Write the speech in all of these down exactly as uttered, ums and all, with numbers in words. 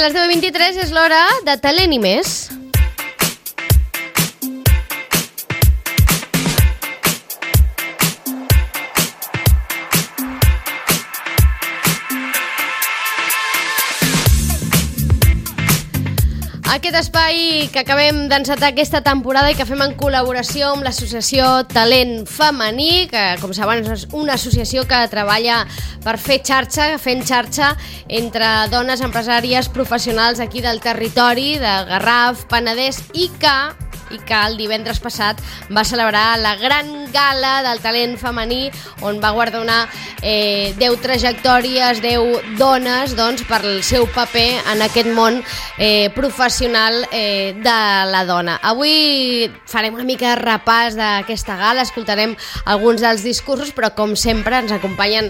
les deu i vint-i-tres és l'hora de Talent i més. Aquest espai que acabem d'encetar aquesta temporada i que fem en col·laboració amb l'associació Talent Femení, que com saben és una associació que treballa per fer xarxa, fent xarxa entre dones empresàries professionals aquí del territori, de Garraf, Penedès, i que i que el divendres passat va celebrar la gran gala del talent femení on va guardonar eh, deu trajectòries, deu dones doncs, per el seu paper en aquest món eh, professional eh, de la dona. Avui farem una mica de repàs d'aquesta gala, escoltarem alguns dels discursos, però com sempre ens acompanyen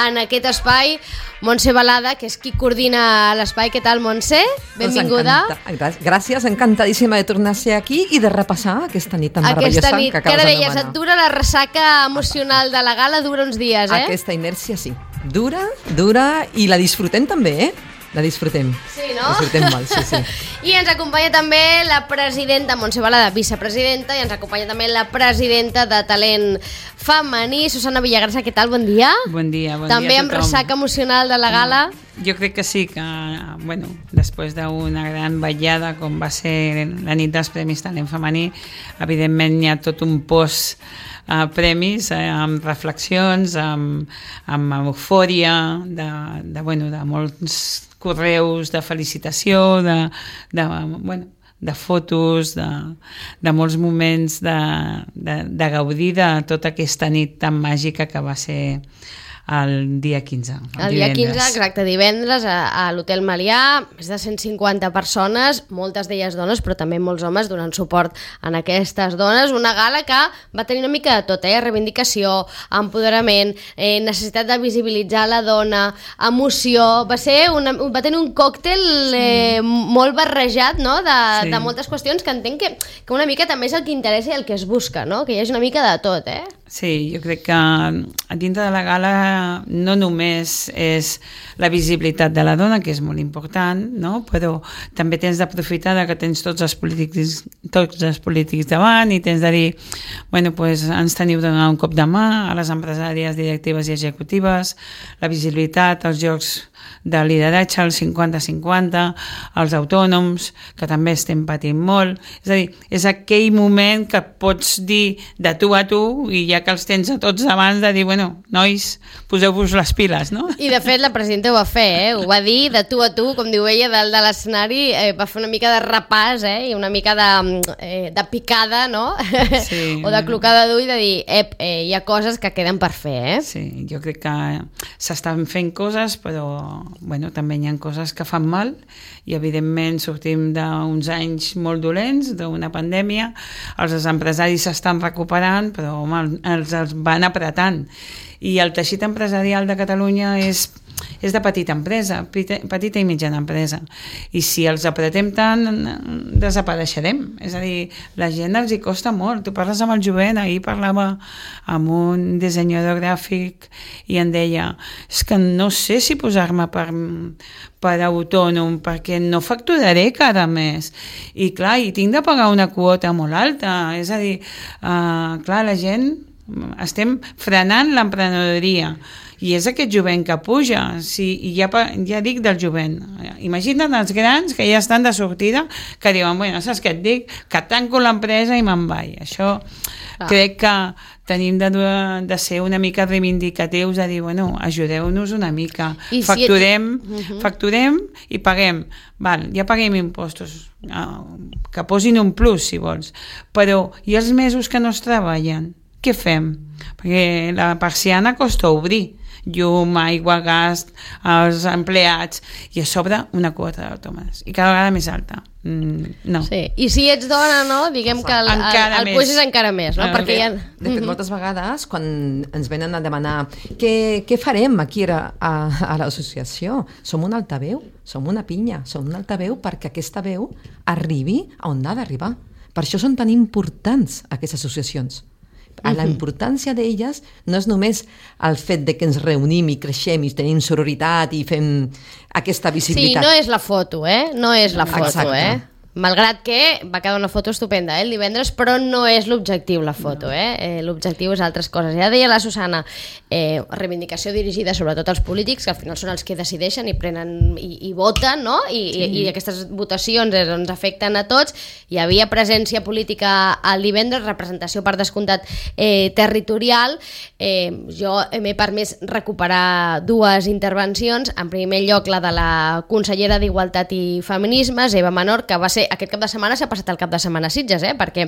en aquest espai Montse Balada, que és qui coordina l'espai. Què tal, Montse? Benvinguda. Encanta... Gràcies, encantadíssima de tornar a ser aquí i de repassar aquesta nit tan meravellosa aquesta nit, que acabes que de deies, et dura la ressaca emocional de la gala, dura uns dies, eh? Aquesta inèrcia sí, dura, dura i la disfrutem també, eh? La disfrutem. Sí, no? La disfrutem molt, sí, sí. I ens acompanya també la presidenta, Montse Balada, vicepresidenta, i ens acompanya també la presidenta de Talent Femení, Susana Villagrasa. Què tal? Bon dia. Bon dia, bon també dia a amb tothom. ressaca emocional de la gala. Jo crec que sí, que bueno, després d'una gran vetllada com va ser la nit dels Premis Talent Femení, evidentment hi ha tot un post Uh, premis, eh, amb reflexions, amb, amb eufòria, de, de, bueno, de molts correus de felicitació, de, de, bueno, de fotos, de, de molts moments de, de, de gaudir de tota aquesta nit tan màgica que va ser el dia quinze. El, el dia quinze, exacte, divendres, a, a l'Hotel Melià, més de cent cinquanta persones, moltes d'elles dones, però també molts homes donant suport en aquestes dones. Una gala que va tenir una mica de tot, eh? Reivindicació, empoderament, eh, necessitat de visibilitzar la dona, emoció. Va ser una, va tenir un còctel eh, molt barrejat, no? de, sí. de moltes qüestions que entenc que, que una mica també és el que interessa i el que es busca, no? Que hi hagi una mica de tot, eh? Sí, jo crec que a dintre de la gala no només és la visibilitat de la dona, que és molt important, no? Però també tens d'aprofitar que tens tots els polítics, tots els polítics davant i tens de dir, bueno, pues ens teniu de donar un cop de mà a les empresàries, directives i executives, la visibilitat, els jocs de lideratge, el cinquanta cinquanta, els autònoms, que també estem patint molt. És a dir, és aquell moment que pots dir de tu a tu i ja que els tens a tots abans de dir, bueno, nois, poseu-vos les piles, no? I de fet la presidenta ho va fer, eh? Ho va dir de tu a tu, com diu ella, dalt de l'escenari, eh, va fer una mica de repàs, eh? I una mica de, eh, de picada, no? Sí. O de clocada d'ull, de dir, ep, eh, hi ha coses que queden per fer, eh? Sí, jo crec que s'estan fent coses, però bueno, també hi ha coses que fan mal i evidentment sortim d'uns anys molt dolents, d'una pandèmia, els empresaris s'estan recuperant, però home, els, els van apretant. I el teixit empresarial de Catalunya és, és de petita empresa, petita i mitjana empresa. I si els apretem tant, desapareixerem. És a dir, la gent els hi costa molt. Tu parles amb el jovent, ahir parlava amb un dissenyador gràfic i em deia, és que no sé si posar-me per, per autònom perquè no facturaré cada mes. I clar, i tinc de pagar una quota molt alta. És a dir, uh, clar, la gent estem frenant l'emprenedoria i és aquest jovent que puja. Sí, i ja, ja dic del jovent, imagina't els grans que ja estan de sortida que diuen, bueno, saps què et dic? Que tanco l'empresa i me'n vaig. Això ah. crec que tenim de, de ser una mica reivindicatius, de dir, bueno, ajudeu-nos una mica, I facturem, si et... uh-huh. facturem i paguem. Val, ja paguem impostos, que posin un plus si vols, però i els mesos que no es treballen? Què fem? Perquè la persiana costa obrir. Llum, aigua, gas, els empleats, i a sobre una quota d'autòmates. I cada vegada més alta. Mm, no. Sí. I si ets dona, no? Diguem que el, el, el puix és encara més, no? Perquè de, ha... de fet, moltes vegades, quan ens venen a demanar què, què farem aquí a, a, a l'associació, som un altaveu, som una pinya, som un altaveu perquè aquesta veu arribi a on ha d'arribar. Per això són tan importants aquestes associacions. Uh-huh. La importància d'elles no és només el fet de que ens reunim i creixem i tenim sororitat i fem aquesta visibilitat. Sí, no és la foto, eh? No és la foto, Exacte. eh? Malgrat que va quedar una foto estupenda, eh, el divendres, però no és l'objectiu la foto, no. eh? eh? L'objectiu és altres coses. Ja deia la Susana, eh, reivindicació dirigida sobretot als polítics, que al final són els que decideixen i prenen i, i voten, no? I, sí. i, i aquestes votacions eh, ens afecten a tots. Hi havia presència política al divendres, representació per descomptat eh, territorial. Eh, jo m'he permès recuperar dues intervencions. En primer lloc, la de la consellera d'Igualtat i Feminismes, Eva Menor, que va ser aquest cap de setmana s'ha passat el cap de setmana a Sitges, eh? Perquè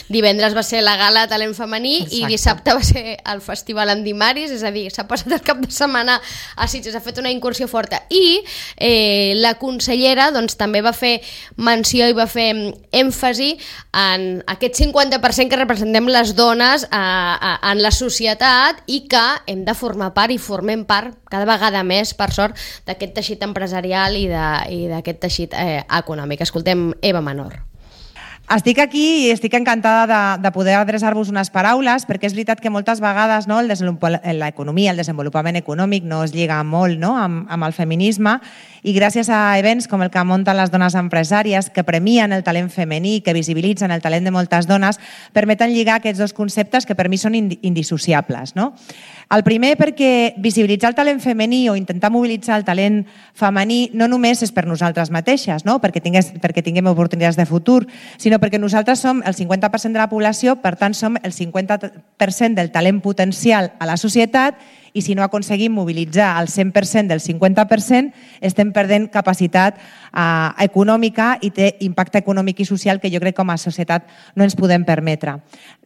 divendres va ser la gala Talent Femení. Exacte. I dissabte va ser el festival Andimaris, és a dir, s'ha passat el cap de setmana a Sitges, ha fet una incursió forta. I eh, la consellera doncs, també va fer menció i va fer èmfasi en aquest cinquanta per cent que representem les dones a, a, en la societat i que hem de formar part i formem part cada vegada més, per sort, d'aquest teixit empresarial i d'aquest teixit eh, econòmic. Escoltem Eva Menor. Estic aquí i estic encantada de, de poder adreçar-vos unes paraules, perquè és veritat que moltes vegades no, l'economia, el desenvolupament econòmic no es lliga molt no, amb, amb el feminisme, i gràcies a events com el que munten les dones empresàries, que premien el talent femení, que visibilitzen el talent de moltes dones, permeten lligar aquests dos conceptes que per mi són indissociables. No? El primer perquè visibilitzar el talent femení o intentar mobilitzar el talent femení no només és per nosaltres mateixes, no? perquè, tingués, perquè tinguem oportunitats de futur, sinó perquè nosaltres som el cinquanta per cent de la població, per tant som el cinquanta per cent del talent potencial a la societat, i si no aconseguim mobilitzar el cent per cent del cinquanta per cent, estem perdent capacitat eh, econòmica i té impacte econòmic i social que jo crec que com a societat no ens podem permetre.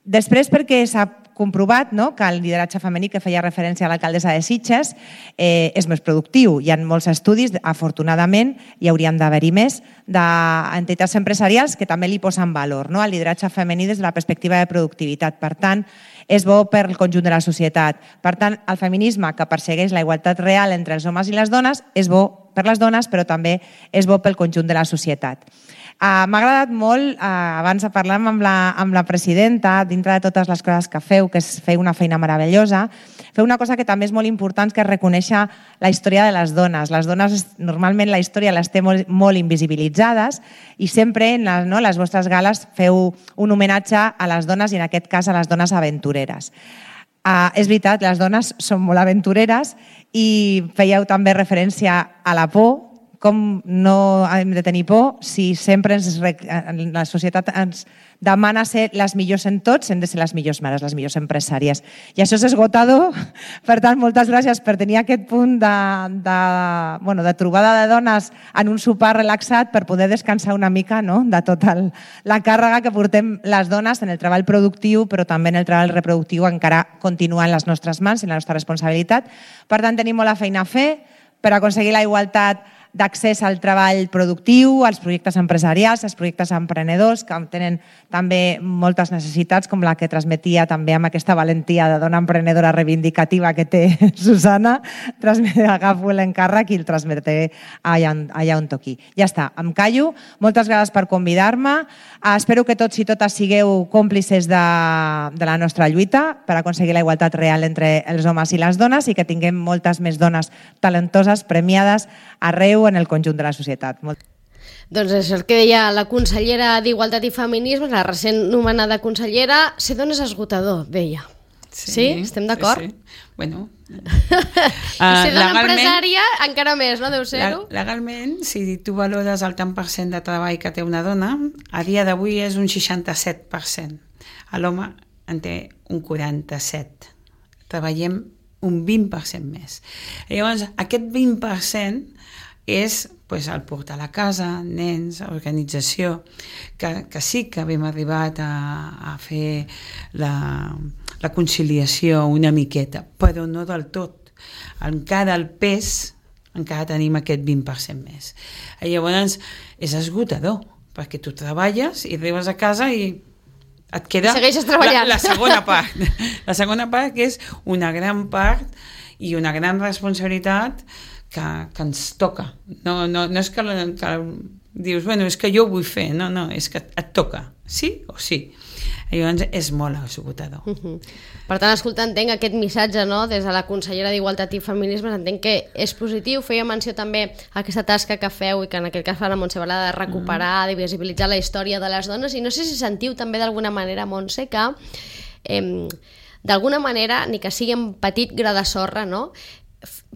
Després perquè s'ha comprovat no, que el lideratge femení, que feia referència a l'alcaldessa de Sitges, eh, és més productiu. Hi ha molts estudis, afortunadament, hi haurien d'haver-hi més, d'entitats empresarials que també li posen valor no, al lideratge femení des de la perspectiva de productivitat. Per tant, és bo per al conjunt de la societat. Per tant, el feminisme que persegueix la igualtat real entre els homes i les dones és bo per les dones, però també és bo pel conjunt de la societat. Uh, M'ha agradat molt, uh, abans de parlar amb la, amb la presidenta, dintre de totes les coses que feu, que és fer una feina meravellosa, feu una cosa que també és molt important, que és reconèixer la història de les dones. Les dones, normalment la història les té molt, molt invisibilitzades i sempre en les, no, les vostres gales feu un homenatge a les dones i en aquest cas a les dones aventureres. Uh, és veritat, les dones són molt aventureres i fèieu també referència a la por, com no hem de tenir por si sempre ens, la societat ens demana ser les millors en tots, hem de ser les millors mares, les millors empresàries. I això és esgotador, per tant, moltes gràcies per tenir aquest punt de, de, bueno, de trobada de dones en un sopar relaxat per poder descansar una mica no? de tota la càrrega que portem les dones en el treball productiu, però també en el treball reproductiu encara continua en les nostres mans, en la nostra responsabilitat. Per tant, tenim molta feina a fer per aconseguir la igualtat d'accés al treball productiu, als projectes empresarials, als projectes emprenedors, que tenen també moltes necessitats, com la que transmetia també amb aquesta valentia de dona emprenedora reivindicativa que té Susana. Agafo l'encàrrec i el transmetré allà, allà on toqui. Ja està, em callo. Moltes gràcies per convidar-me. Espero que tots i totes sigueu còmplices de, de la nostra lluita per aconseguir la igualtat real entre els homes i les dones i que tinguem moltes més dones talentoses, premiades, arreu en el conjunt de la societat. Molt... Doncs és el que deia la consellera d'Igualtat i Feminismes, la recent nomenada consellera. Ser dona és esgotador, deia. Sí? sí Estem d'acord? Sí, sí. Bueno... I ser dona empresària encara més, no? Deu ser-ho? Legalment, si tu valores el tant per cent de treball que té una dona, a dia d'avui és un seixanta-set per cent. L'home en té un quaranta-set. Treballem un vint per cent més. Llavors, aquest vint per cent és pues, el portar a la casa, nens, organització, que, que sí que hem arribat a, a fer la, la conciliació una miqueta, però no del tot. Encara el pes, encara tenim aquest vint per cent més. I llavors és esgotador, perquè tu treballes i arribes a casa i et queda la, la segona part. La segona part que és una gran part i una gran responsabilitat que, que ens toca. No, no, no és que, que dius, bueno, és que jo ho vull fer, no, no, és que et toca, sí o sí. Llavors és molt esgotador. Uh -huh. Per tant, escolta, entenc aquest missatge, no?, des de la consellera d'Igualtat i Feminismes, entenc que és positiu. Feia menció també a aquesta tasca que feu i que en aquest cas fa la Montse Balada, de recuperar, de visibilitzar la història de les dones, i no sé si sentiu també d'alguna manera, Montse, que eh, d'alguna manera, ni que sigui un petit gra de sorra, no?,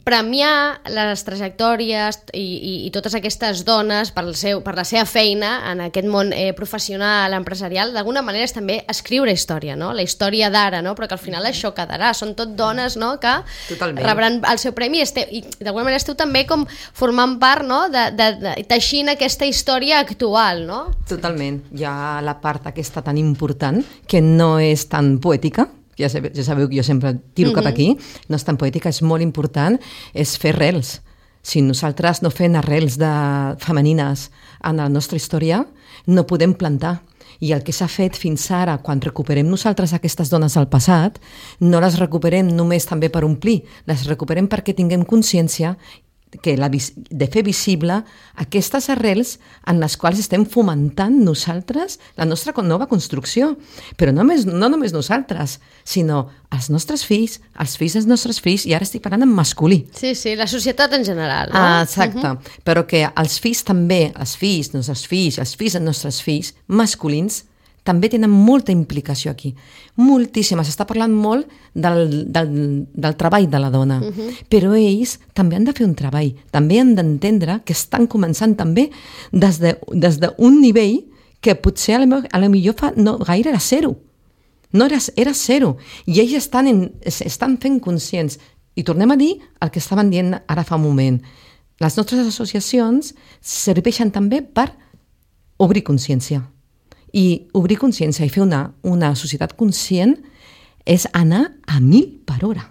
premiar les trajectòries i, i, i totes aquestes dones per, el seu, per la seva feina en aquest món eh, professional, empresarial, d'alguna manera és també escriure història, no? La història d'ara, no? Però que al final això quedarà, són tot dones, no?, que Totalment. Rebran el seu premi, este, i d'alguna manera esteu també com formant part, no?, de, de, de teixint aquesta història actual, no? Totalment, hi ha la part aquesta tan important que no és tan poètica, ja sabeu, ja sabeu que jo sempre tiro uh-huh. cap aquí, no és tan poètica, és molt important, és fer arrels. Si nosaltres no fem arrels de femenines en la nostra història, no podem plantar. I el que s'ha fet fins ara, quan recuperem nosaltres aquestes dones del passat, no les recuperem només també per omplir, les recuperem perquè tinguem consciència que la, de fer visible aquestes arrels en les quals estem fomentant nosaltres la nostra nova construcció. Però no només, no només nosaltres, sinó els nostres fills, els fills dels nostres fills, i ara estic parlant en masculí. Sí, sí, la societat en general, no? Ah, exacte, uh-huh. Però que els fills també, els fills, els nostres fills, els fills dels nostres fills, masculins, també tenen molta implicació aquí, moltíssima. S'està parlant molt del, del, del treball de la dona, uh-huh. però ells també han de fer un treball, també han d'entendre que estan començant també des d'un de, des de nivell que potser a la, a la millor fa no, gaire era zero, no era, era zero, i ells estan, en, estan fent conscients. I tornem a dir el que estaven dient ara fa un moment. Les nostres associacions serveixen també per obrir consciència. I obrir consciència i fer una, una societat conscient és anar a mil per hora.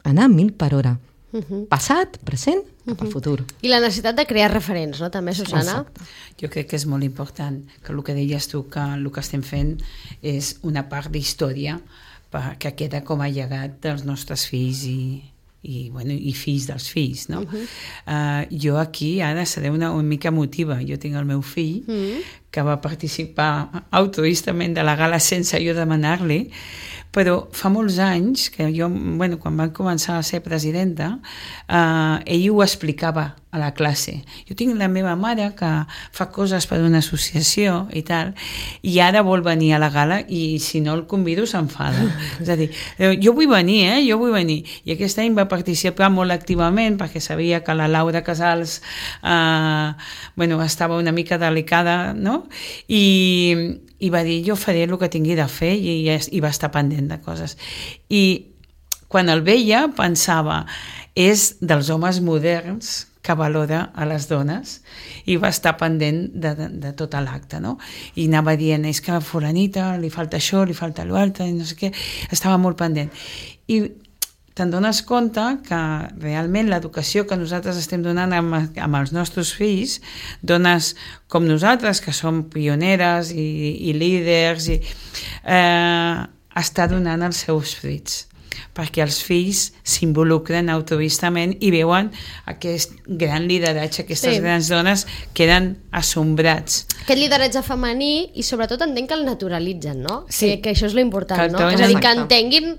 Anar a mil per hora. Uh-huh. Passat, present, cap al futur. I la necessitat de crear referents, no?, també, Susana? Exacte. Jo crec que és molt important que el que deies tu, que el que estem fent és una part d'història que queda com a llegat dels nostres fills i, i, bueno, i fills dels fills, no? Uh-huh. uh, jo aquí ara seré una, una mica emotiva. Jo tinc el meu fill uh-huh. que va participar altruistament de la gala sense jo demanar-li, però fa molts anys que jo, bueno, quan vam començar a ser presidenta, eh, ell ho explicava a la classe. Jo tinc la meva mare que fa coses per una associació i tal, i ara vol venir a la gala i si no el convido s'enfada. És a dir, jo vull venir, eh? Jo vull venir. I aquest any va participar molt activament perquè sabia que la Laura Casals eh, bueno, estava una mica delicada, no? I, i va dir, jo faré el que tingui de fer, i, i va estar pendent de coses. I quan el veia pensava, és dels homes moderns que valora a les dones, i va estar pendent de, de, de tot l'acte, no? I anava dient, és que a fulanita li falta això, li falta l'altre, no sé què, estava molt pendent. I te'n dones compte que realment l'educació que nosaltres estem donant amb, amb els nostres fills, dones com nosaltres, que som pioneres i, i líders, i, eh, està donant els seus fruits, perquè els fills s'involucren altruistament i veuen aquest gran lideratge, aquestes sí. grans dones queden assombrats. Aquest lideratge femení, i sobretot entenc que el naturalitzen, no? Sí. Que, que això és l'important, no? És a dir, que entenguin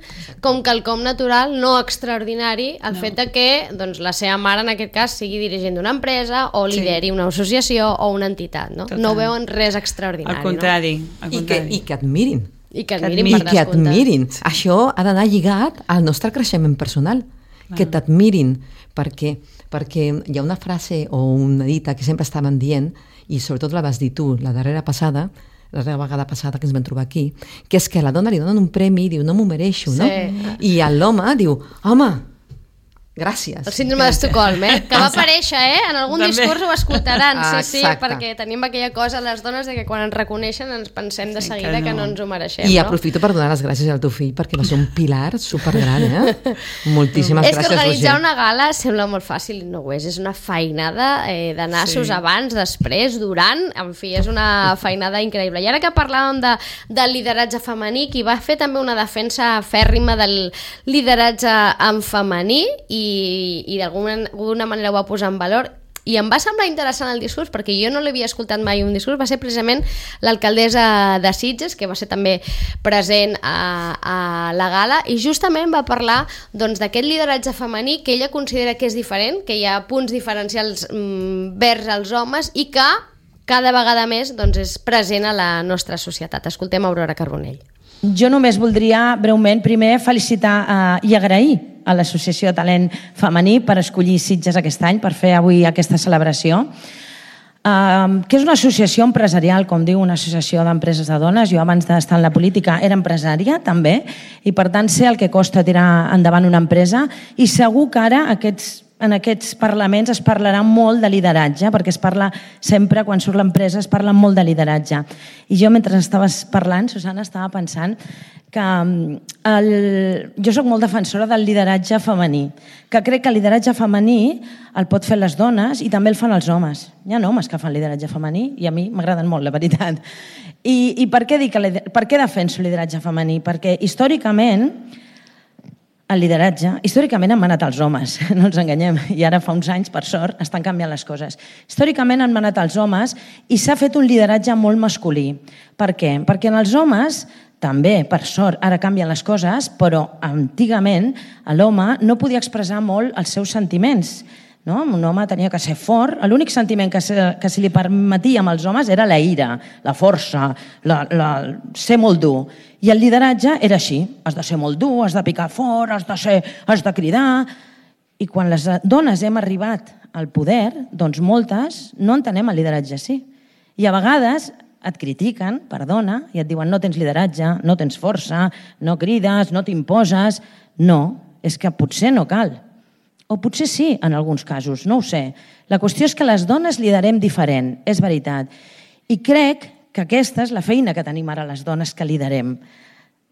com quelcom natural, no extraordinari, el no. fet de que doncs, la seva mare, en aquest cas, sigui dirigent d'una empresa o lideri sí. una associació o una entitat, no? Total. No veuen res extraordinari. Al contrari. No? Al contrari. I, que, I que admirin. I que admirin, I que admirin. Això ha d'anar lligat al nostre creixement personal. Ah. Que t'admirin, perquè, perquè hi ha una frase o una dita que sempre estaven dient, i sobretot la vas dir tu la darrera passada, la darrera vegada passada que ens vam trobar aquí, que és que a la dona li donen un premi i diu, no m'ho mereixo, sí. no? I a l'home diu, home, gràcies. El síndrome d'Estocolm, eh? Que va aparèixer, eh? En algun També. discurs ho escoltaran, sí, sí, Exacte. perquè tenim aquella cosa les dones de que quan ens reconeixen ens pensem de seguida que no, que no ens ho mereixem. I no? aprofito per donar les gràcies al teu fill perquè va ser un pilar supergran, eh? Moltíssimes és gràcies, que organitzar Roger. una gala sembla molt fàcil i no ho és. És una feinada eh, de nassos sí. abans, després, durant, en fi, és una feinada increïble. I ara que parlàvem de, del lideratge femení, qui va fer també una defensa fèrrima del lideratge en femení i i, i d'alguna manera ho va posar en valor i em va semblar interessant el discurs, perquè jo no l'havia escoltat mai un discurs, va ser precisament l'alcaldessa de Sitges, que va ser també present a, a la gala, i justament va parlar doncs, d'aquest lideratge femení que ella considera que és diferent, que hi ha punts diferencials mm, vers els homes i que cada vegada més doncs, és present a la nostra societat. Escoltem Aurora Carbonell. Jo només voldria breument primer felicitar eh, i agrair a l'Associació de Talent Femení per escollir Sitges aquest any, per fer avui aquesta celebració, eh, que és una associació empresarial, com diu, una associació d'empreses de dones. Jo abans d'estar en la política era empresària també, i per tant sé el que costa tirar endavant una empresa, i segur que ara aquests en aquests parlaments es parlarà molt de lideratge, perquè es parla sempre, quan surt l'empresa, es parla molt de lideratge. I jo, mentre estaves parlant, Susana, estava pensant que el... jo soc molt defensora del lideratge femení, que crec que el lideratge femení el pot fer les dones i també el fan els homes. Hi ha homes que fan lideratge femení i a mi m'agraden molt, la veritat. I, i per què dic que, per què defenso el lideratge femení? Perquè històricament el lideratge, històricament han manat els homes, no ens enganyem, i ara fa uns anys, per sort, estan canviant les coses. Històricament han manat els homes i s'ha fet un lideratge molt masculí. Per què? Perquè en els homes, també, per sort, ara canvien les coses, però antigament l'home no podia expressar molt els seus sentiments. No? Un home tenia que ser fort, l'únic sentiment que se, que se li permetia amb els homes era la ira, la força, la, la, ser molt dur. I el lideratge era així, has de ser molt dur, has de picar fort, has de, ser, has de cridar. I quan les dones hem arribat al poder, doncs moltes no entenem el lideratge així. I a vegades et critiquen, perdona, i et diuen no tens lideratge, no tens força, no crides, no t'imposes. No, és que potser no cal. O potser sí, en alguns casos, no ho sé. La qüestió és que les dones liderem diferent, és veritat. I crec que aquesta és la feina que tenim ara les dones que liderem.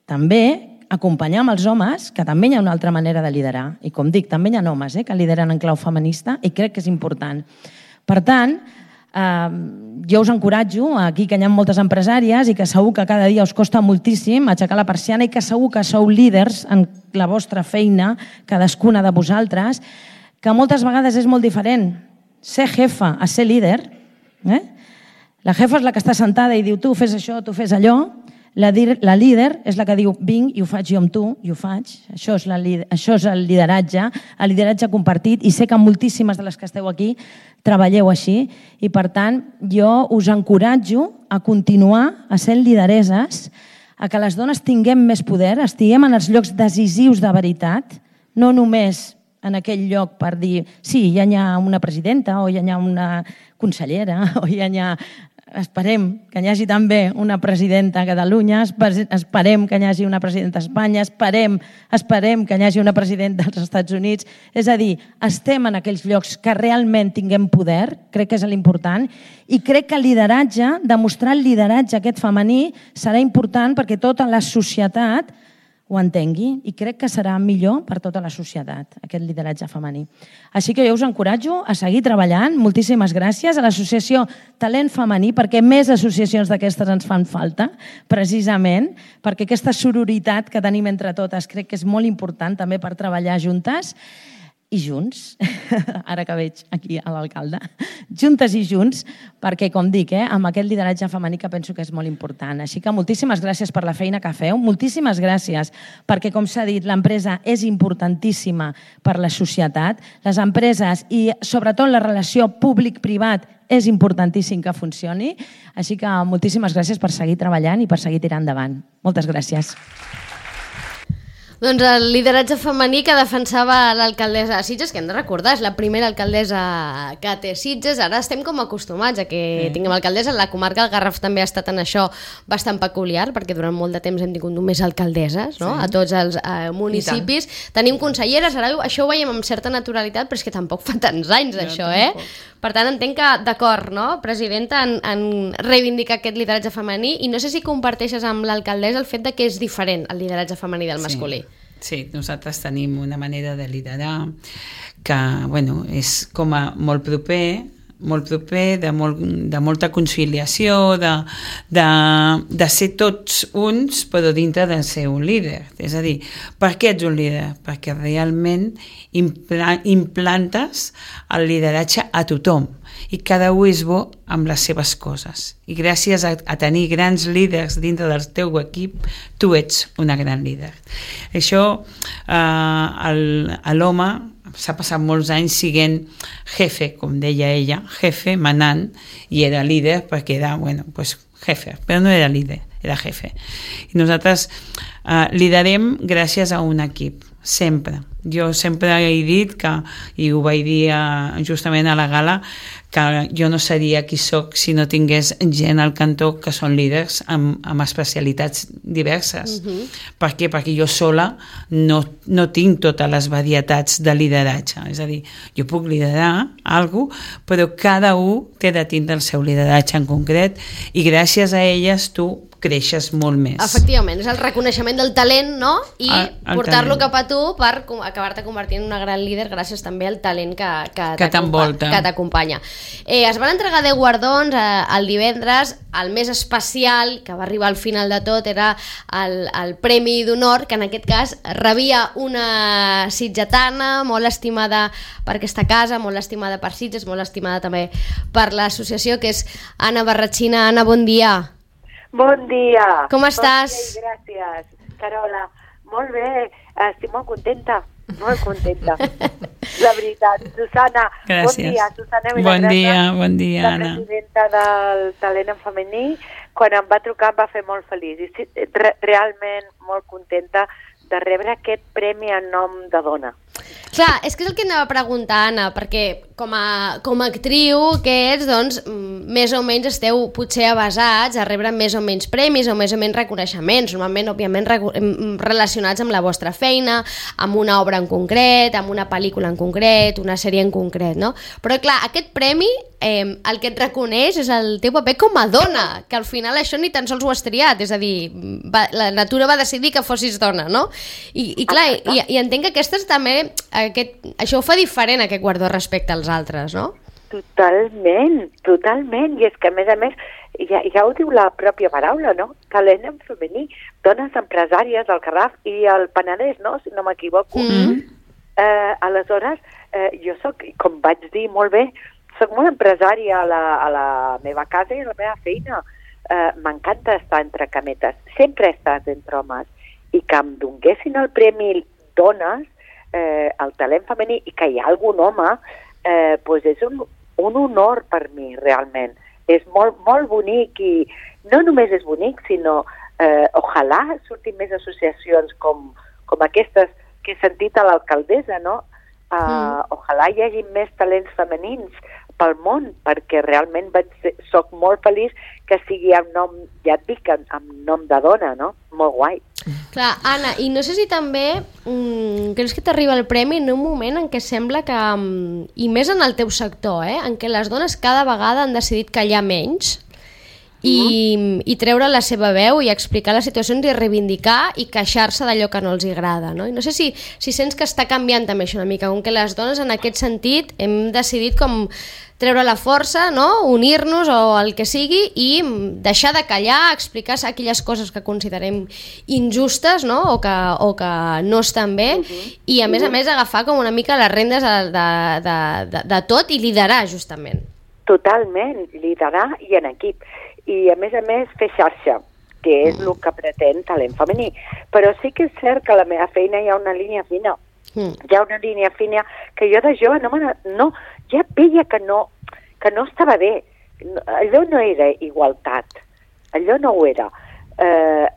També acompanyar amb els homes, que també hi ha una altra manera de liderar. I com dic, també hi ha homes eh, que lideren en clau feminista i crec que és important. Per tant, eh, jo us encoratjo aquí que hi ha moltes empresàries i que segur que cada dia us costa moltíssim aixecar la persiana i que segur que sou líders en la vostra feina, cadascuna de vosaltres, que moltes vegades és molt diferent ser jefa a ser líder. Eh? La jefa és la que està sentada i diu tu fes això, tu fes allò. La, la líder és la que diu vinc i ho faig jo amb tu, i ho faig. Això és, la, això és el lideratge, el lideratge compartit, i sé que moltíssimes de les que esteu aquí treballeu així, i per tant jo us encoratjo a continuar a ser lidereses, a que les dones tinguem més poder, estiguem en els llocs decisius de veritat, no només en aquell lloc per dir sí, ja hi ha una presidenta o ja hi ha una consellera o ja hi ha... Esperem que hi hagi també una presidenta a Catalunya, esperem que hi hagi una presidenta a Espanya, esperem, esperem que hi hagi una presidenta als Estats Units. És a dir, estem en aquells llocs que realment tinguem poder, crec que és l'important, i crec que el lideratge, demostrar el lideratge aquest femení, serà important perquè tota la societat ho entengui, i crec que serà millor per tota la societat, aquest lideratge femení. Així que jo us encoratjo a seguir treballant. Moltíssimes gràcies a l'Associació Talent Femení, perquè més associacions d'aquestes ens fan falta, precisament, perquè aquesta sororitat que tenim entre totes crec que és molt important també per treballar juntes i junts, ara que veig aquí a l'alcalde, juntes i junts, perquè, com dic, eh, amb aquest lideratge femení que penso que és molt important. Així que moltíssimes gràcies per la feina que feu, moltíssimes gràcies perquè, com s'ha dit, l'empresa és importantíssima per la societat, les empreses i, sobretot, la relació públic-privat és importantíssim que funcioni, així que moltíssimes gràcies per seguir treballant i per seguir tirant endavant. Moltes gràcies. Doncs el lideratge femení que defensava l'alcaldessa de Sitges, que hem de recordar, és la primera alcaldessa que té Sitges. Ara estem com acostumats a que sí. tinguem alcaldessa. La comarca del Garraf també ha estat en això bastant peculiar, perquè durant molt de temps hem tingut només alcaldesses, no? Sí. A tots els eh, municipis. Tenim conselleres, ara això ho veiem amb certa naturalitat, però és que tampoc fa tants anys ja, això, eh? Per tant, entenc que, d'acord, no, presidenta, en, en reivindicar aquest lideratge femení, i no sé si comparteixes amb l'alcaldessa el fet de que és diferent el lideratge femení del masculí. Sí. Sí, nosaltres tenim una manera de liderar que, bueno, és com a molt proper, molt proper, de, molt, de molta conciliació, de, de, de ser tots uns, però dintre de ser un líder. És a dir, per què ets un líder? Perquè realment impla, implantes el lideratge a tothom i cada un és bo amb les seves coses. I gràcies a, a tenir grans líders dintre del teu equip, tu ets una gran líder. Això, eh, l'home s'ha passat molts anys siguent jefe, com deia ella, jefe, manant, i era líder perquè era, bueno, pues jefe, però no era líder, era jefe. I nosaltres eh, liderem gràcies a un equip, sempre. Jo sempre he dit que, i ho vaig dir eh, justament a la gala, que jo no seria qui soc si no tingués gent al cantó que són líders amb, amb especialitats diverses. Uh-huh. Per què? Perquè jo sola no, no tinc totes les varietats de lideratge. És a dir, jo puc liderar alguna cosa, però cada un té de tindre el seu lideratge en concret i gràcies a elles tu creixes molt més. Efectivament, és el reconeixement del talent, no? I el, el portar-lo cap a tu per acabar-te convertint en una gran líder gràcies també al talent que, que, que t'envolta, que t'acompanya. Eh, es van entregar deu guardons eh, el divendres. El més especial, que va arribar al final de tot, era el, el Premi d'Honor, que en aquest cas rebia una sitgetana molt estimada per aquesta casa, molt estimada per Sitges, molt estimada també per l'associació, que és Anna Barratxina. Anna, bon dia. Bon dia. Com estàs? Bon dia, gràcies, Carola. Molt bé, estic molt contenta, molt contenta. La veritat. Susana, gràcies. Bon dia, Susana Vilagrassa. Bon dia, bon dia, la Anna. La presidenta del Talent en Femení, quan em va trucar em va fer molt feliç. I re realment molt contenta de rebre aquest premi en nom de dona. Clar, és que és el que anava a preguntar, Anna, perquè com a, com a actriu que ets, doncs, més o menys esteu potser avasats a rebre més o menys premis o més o menys reconeixements, normalment, òbviament, relacionats amb la vostra feina, amb una obra en concret, amb una pel·lícula en concret, una sèrie en concret, no? Però, clar, aquest premi, eh, el que et reconeix és el teu paper com a dona, que al final això ni tan sols ho has triat, és a dir, va, la natura va decidir que fossis dona, no? I, i clar, i, i entenc que aquestes també, aquest, això ho fa diferent, aquest guardó, respecte als altres, no? Totalment, totalment, i és que a més a més ja, ja ho diu la pròpia paraula, no? Talent en femení, dones empresàries del Garraf i el Penedès, no? Si no m'equivoco. Mm-hmm. eh, aleshores, eh, jo soc, com vaig dir molt bé, soc molt empresària a la, a la meva casa i a la meva feina. Eh, M'encanta estar entre cametes, sempre he estat entre homes, i que em donguessin el premi dones, eh, el talent femení, i que hi ha algun home, eh, pues és un, un honor per mi, realment. És molt, molt bonic, i no només és bonic, sinó eh, ojalà surtin més associacions com, com aquestes que he sentit a l'alcaldessa, no? Uh, mm. Ojalà hi hagi més talents femenins pel món, perquè realment vaig ser, soc molt feliç que sigui amb nom, ja et dic, amb, amb nom de dona, no? Molt guai. Clar, Anna, i no sé si també mm, creus que t'arriba el premi en un moment en què sembla que, mm, i més en el teu sector, eh, en què les dones cada vegada han decidit callar menys i, mm. i treure la seva veu i explicar les situacions i reivindicar i queixar-se d'allò que no els agrada, no? I no sé si, si sents que està canviant també això una mica, com que les dones en aquest sentit hem decidit com treure la força, no? Unir-nos o el que sigui i deixar de callar, explicar aquelles coses que considerem injustes, no? O que, o que no estan bé, uh-huh. i a més a més agafar com una mica les rendes de, de, de, de, de tot i liderar justament. Totalment, liderar i en equip. I a més a més fer xarxa, que és mm. el que pretén Talent Femení. Però sí que és cert que a la meva feina hi ha una línia fina. Mm. Hi ha una línia fina que jo de jove no, no ja veia que no, que no estava bé. Allò no era igualtat. Allò no ho era. Eh,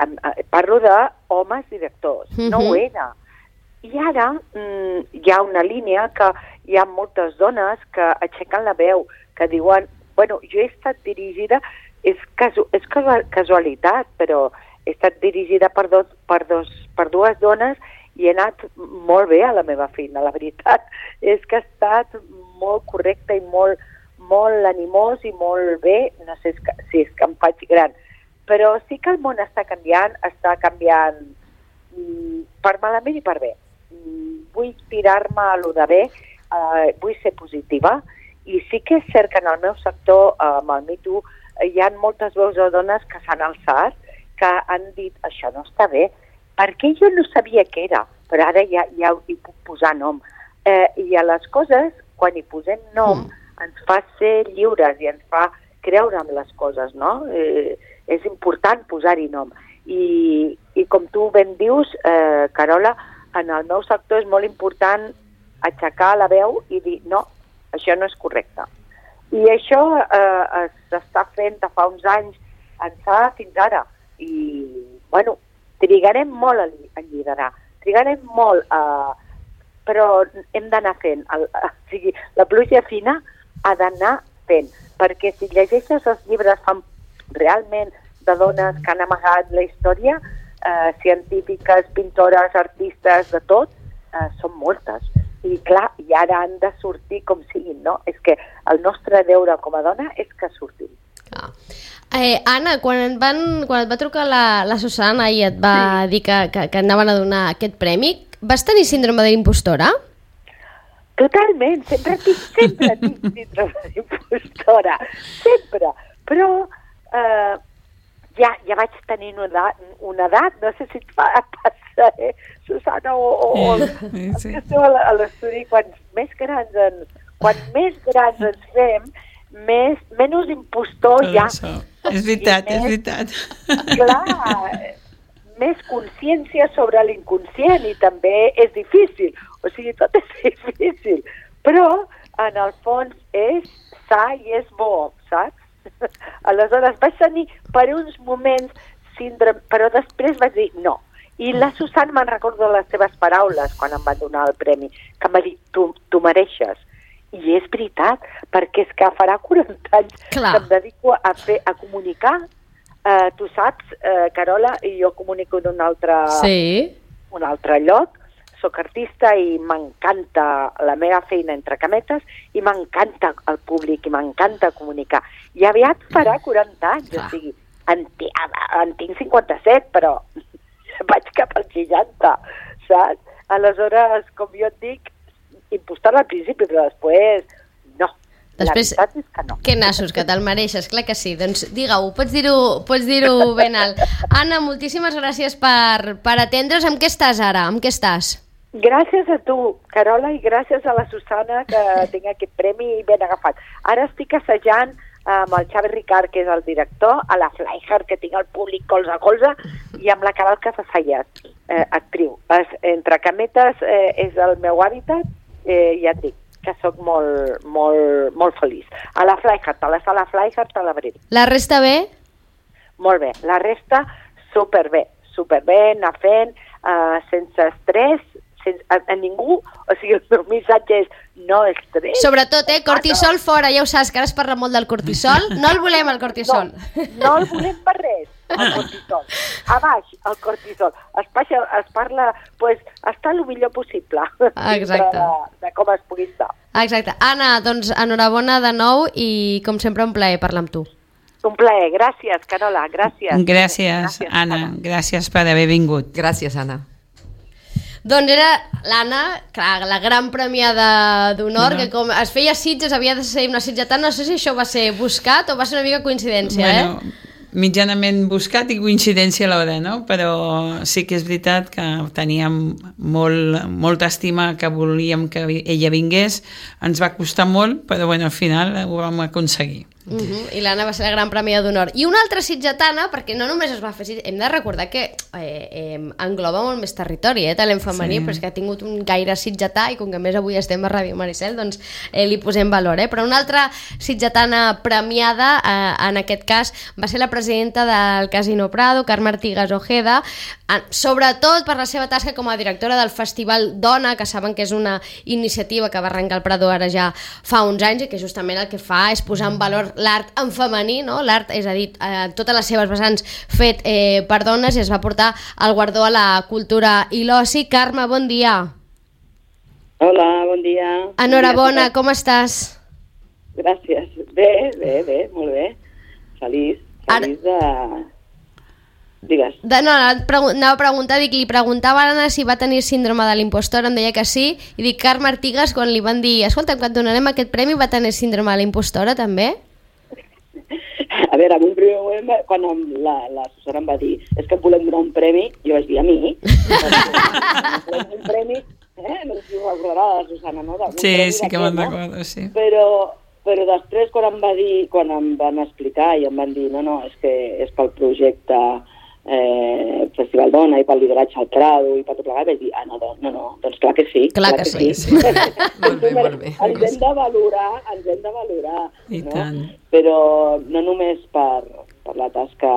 parlo d'homes directors. Mm-hmm. No ho era. I ara mm, hi ha una línia que hi ha moltes dones que aixequen la veu, que diuen, bueno, jo he estat dirigida, és, casu és casualitat, però he estat dirigida per, dos, per, dos, per dues dones i he anat molt bé a la meva feina, la veritat. És que ha estat molt correcte i molt, molt animós i molt bé, no sé si és que em faig gran, però sí que el món està canviant, està canviant mm, per malament i per bé. Mm, vull tirar-me a lo de bé, uh, vull ser positiva I sí que és cert que en el meu sector, amb el Me Too, hi ha moltes veus de dones que s'han alçat, que han dit, això no està bé, perquè jo no sabia què era, però ara ja, ja hi puc posar nom. Eh, I a les coses, quan hi posem nom, mm. ens fa ser lliures i ens fa creure en les coses, no? Eh, és important posar-hi nom. I, I com tu ben dius, eh, Carola, en el meu sector és molt important aixecar la veu i dir, no, això no és correcte. I això eh, s'està fent de fa uns anys ençà fins ara. I, bueno, trigarem molt a, a liderar, trigarem molt a... però hem d'anar fent. El, o sigui, la pluja fina ha d'anar fent, perquè si llegeixes els llibres fan realment de dones que han amagat la història, eh, científiques, pintores, artistes, de tot, eh, són moltes. I clar, i ara han de sortir com siguin, no? És que el nostre deure com a dona és que surtin. Ah. Eh, Anna, quan et, van, quan et va trucar la, la Susana i et va sí. dir que, que, que anaven a donar aquest premi, vas tenir síndrome de l'impostora? Totalment, sempre tinc, sempre tinc síndrome d'impostora, sempre. Però eh, ja, ja vaig tenir una edat, una edat, no sé si et va passar, eh, Susana, o, o, o sí, sí. que esteu a l'estudi, quan més grans ens, quan més grans ens fem, més, menys impostor tot ja. Això. És veritat, més, és veritat. Clar, més consciència sobre l'inconscient i també és difícil, o sigui, tot és difícil, però en el fons és sa i és bo, saps? Aleshores vaig tenir per uns moments síndrome, però després vaig dir no. I la Susana me'n recordo les seves paraules quan em van donar el premi, que em va dir, tu, tu mereixes. I és veritat, perquè és que farà quaranta anys Clar. que em dedico a, fer, a comunicar. Uh, tu saps, uh, Carola, i jo comunico d'un altre, sí. un altre lloc, soc artista i m'encanta la meva feina entre cametes i m'encanta el públic i m'encanta comunicar. I aviat farà quaranta anys, ah. o sigui, en, en tinc cinquanta-set, però vaig cap als seixanta, saps? Aleshores, com jo et dic, impostar-la al principi, però després no. Després, la veritat és que no. Que nassos, que te'l mereixes, clar que sí. Doncs digue-ho, pots dir-ho pots dir-ho ben alt. Anna, moltíssimes gràcies per, per atendre's. Amb què estàs ara? Amb què estàs? Gràcies a tu, Carola, i gràcies a la Susana que tinc aquest premi ben agafat. Ara estic assajant amb el Xavi Ricard, que és el director, a la Flyhard, que tinc el públic colze a colze, i amb la Caral Casasallas, eh, actriu. Es, entre cametes eh, és el meu hàbitat, eh, ja et dic que sóc molt, molt, molt feliç. A la Flyhard, a la sala Flyhard, a l'abril. La resta bé? Molt bé. La resta, superbé. Superbé, anar fent, eh, sense estrès, sense, a, a ningú, o sigui, el meu missatge és no estrès. Sobretot, eh, cortisol fora, ja ho saps, que ara es parla molt del cortisol. No el volem, el cortisol. No, no el volem per res, el cortisol. A baix, el cortisol. Es, passa, es parla, pues, estar el millor possible. Exacte. De, de com es pugui estar. Exacte. Anna, doncs, enhorabona de nou i, com sempre, un plaer parlar amb tu. Un plaer. Gràcies, Carola. Gràcies. Gràcies, Gràcies Anna. Anna. Gràcies per haver vingut. Gràcies, Anna. Doncs era l'Anna, clar, la gran premiada d'honor, no. que com es feia Sitges, havia de ser una sitgetana, no sé si això va ser buscat o va ser una mica coincidència, bueno, eh? Mitjanament buscat i coincidència alhora, no? Però sí que és veritat que teníem molt, molta estima, que volíem que ella vingués, ens va costar molt, però bueno, al final ho vam aconseguir. Uh -huh. I l'Anna va ser la gran premia d'honor. I una altra sitgetana, perquè no només es va fer... Hem de recordar que eh, eh, engloba molt més territori, eh, talent femení, sí. Però és que ha tingut un gaire sitgetà i com que més avui estem a Ràdio Maricel, doncs eh, li posem valor. Eh? Però una altra sitgetana premiada, eh, en aquest cas, va ser la presidenta del Casino Prado, Carme Artigas Ojeda, eh, sobretot per la seva tasca com a directora del Festival Dona, que saben que és una iniciativa que va arrencar el Prado ara ja fa uns anys i que justament el que fa és posar en valor l'art en femení, no? L'art, és a dir, eh, totes les seves vessants fet eh, per dones, i es va portar el guardó a la cultura i l'oci. Carme, bon dia. Hola, bon dia. Enhorabona, com estàs? Gràcies. Bé, bé, bé, molt bé. Feliç, feliç Ara... de... Digues. De, no, anava a preguntar, dic, li preguntava a l'Anna si va tenir síndrome de l'impostor, em deia que sí, i dic, Carme Artigas, quan li van dir, escolta, quan et donarem aquest premi, va tenir síndrome de l'impostora, també? A veure, en un primer moment, quan l'assessora em va dir és que em volem donar un premi, jo vaig dir a mi, volem un premi, eh? No sé si ho recordarà la Susana, no? Sí, sí que me'n recordo, sí. Però, però després, quan em va dir, quan em van explicar i em van dir, no, no, és que és pel projecte eh, Festival Dona i pel lideratge al Prado i per tot plegat, vaig dir, ah, no, no, no, doncs clar que sí. Clar, clar que, que sí. sí. Molt bé, molt bé. Ens hem de valorar, ens hem de valorar. I no? tant. Però no només per, per la tasca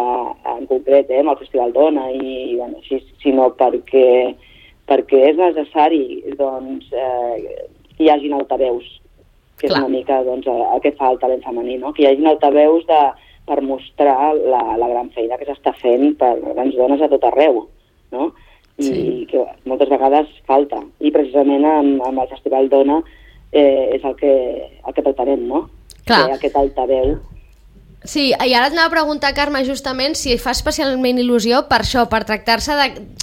en concret, eh, amb el Festival Dona, i, bueno, així, sinó perquè, perquè és necessari doncs, eh, que hi hagin altaveus, que clar. És una mica doncs, el que fa el talent femení, no? Que hi hagin altaveus de, per mostrar la, la gran feina que s'està fent per grans dones a tot arreu, no? I sí. que moltes vegades falta. I precisament amb, amb el Festival Dona eh, és el que, el que pretenem, no? Clar. Que aquest altaveu. Sí, i ara et anava a preguntar, Carme, justament si fa especialment il·lusió per això, per tractar-se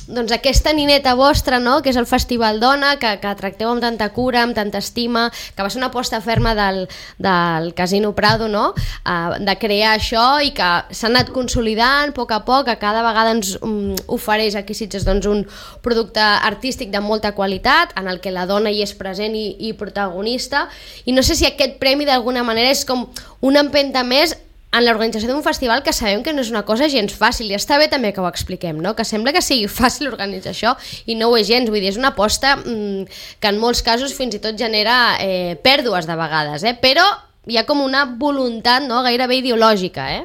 doncs, aquesta nineta vostra, no?, que és el Festival Dona, que, que tracteu amb tanta cura, amb tanta estima, que va ser una aposta ferma del, del Casino Prado, no?, uh, de crear això i que s'ha anat consolidant a poc a poc, que cada vegada ens um, ofereix aquí Sitges doncs, un producte artístic de molta qualitat, en el que la dona hi és present i, i protagonista, i no sé si aquest premi d'alguna manera és com una empenta més en l'organització d'un festival que sabem que no és una cosa gens fàcil, i està bé també que ho expliquem, no? Que sembla que sigui fàcil organitzar això i no ho és gens, vull dir, és una aposta mmm, que en molts casos fins i tot genera eh, pèrdues de vegades, eh? Però hi ha com una voluntat, no?, gairebé ideològica, eh?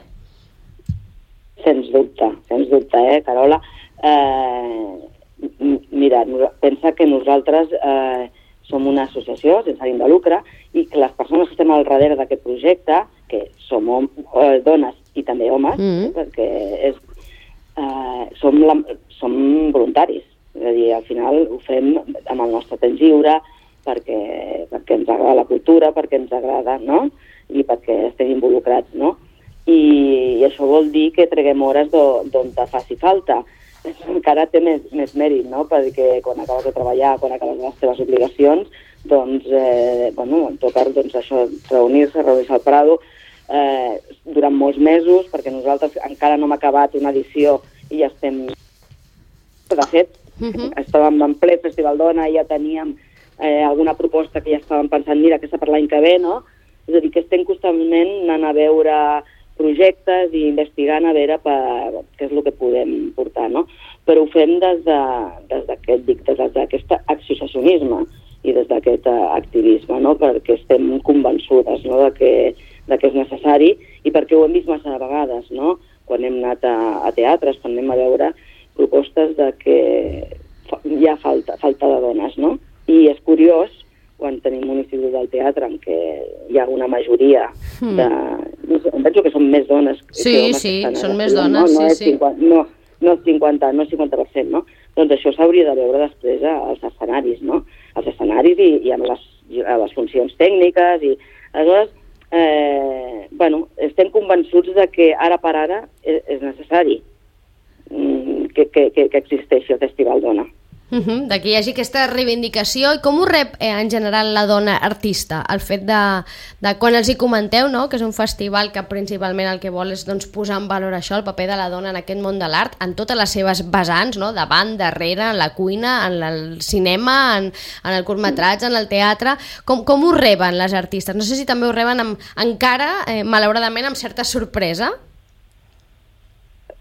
Sens dubte, sens dubte, eh, Carola? Eh, mira, pensa que nosaltres eh, som una associació sense ànim de lucre i que les persones que estem al darrere d'aquest projecte, que som eh, dones i també homes, mm. perquè és, eh, som, la, som voluntaris. És a dir, al final ho fem amb el nostre temps lliure, perquè, perquè ens agrada la cultura, perquè ens agrada, no?, i perquè estem involucrats, no? I, i això vol dir que treguem hores d'on te faci falta. Encara té més, més mèrit, no?, perquè quan acabes de treballar, quan acabes les teves obligacions, doncs, eh, bueno, toca doncs, això, reunir-se, reunir-se al Prado, eh, durant molts mesos, perquè nosaltres encara no hem acabat una edició i ja estem... De fet, uh-huh. estàvem en ple Festival Dona i ja teníem eh, alguna proposta que ja estàvem pensant, mira, aquesta per l'any que ve, no? És a dir, que estem constantment anant a veure projectes i investigant a veure per, què és el que podem portar, no? Però ho fem des d'aquest, dic, des d'aquest associacionisme i des d'aquest activisme, no?, perquè estem convençudes, no?, de que, de que és necessari i perquè ho hem vist massa vegades, no?, quan hem anat a, a teatres, quan anem a veure propostes de que hi ha falta, falta de dones, no? I és curiós, quan tenim un institut del teatre en què hi ha una majoria de... Mm. Em penso que són més dones que sí, homes. Sí, sí, són més dones, no, no sí, sí. cinquanta, no, no cinquanta, no cinquanta per cent, no? Doncs això s'hauria de veure després als escenaris, no? Als escenaris i, i en les, a les funcions tècniques i... Aleshores, eh, bueno, estem convençuts de que ara per ara és, és necessari que, que, que, que existeixi el Festival Dona. Uh-huh, de que hi hagi aquesta reivindicació. I com ho rep eh, en general la dona artista? El fet de, de quan els hi comenteu, no?, que és un festival que principalment el que vol és doncs, posar en valor això, el paper de la dona en aquest món de l'art, en totes les seves vessants, no?, davant, darrere, en la cuina, en el cinema, en, en el curtmetratge, en el teatre. Com, com ho reben les artistes? No sé si també ho reben amb, encara, eh, malauradament, amb certa sorpresa.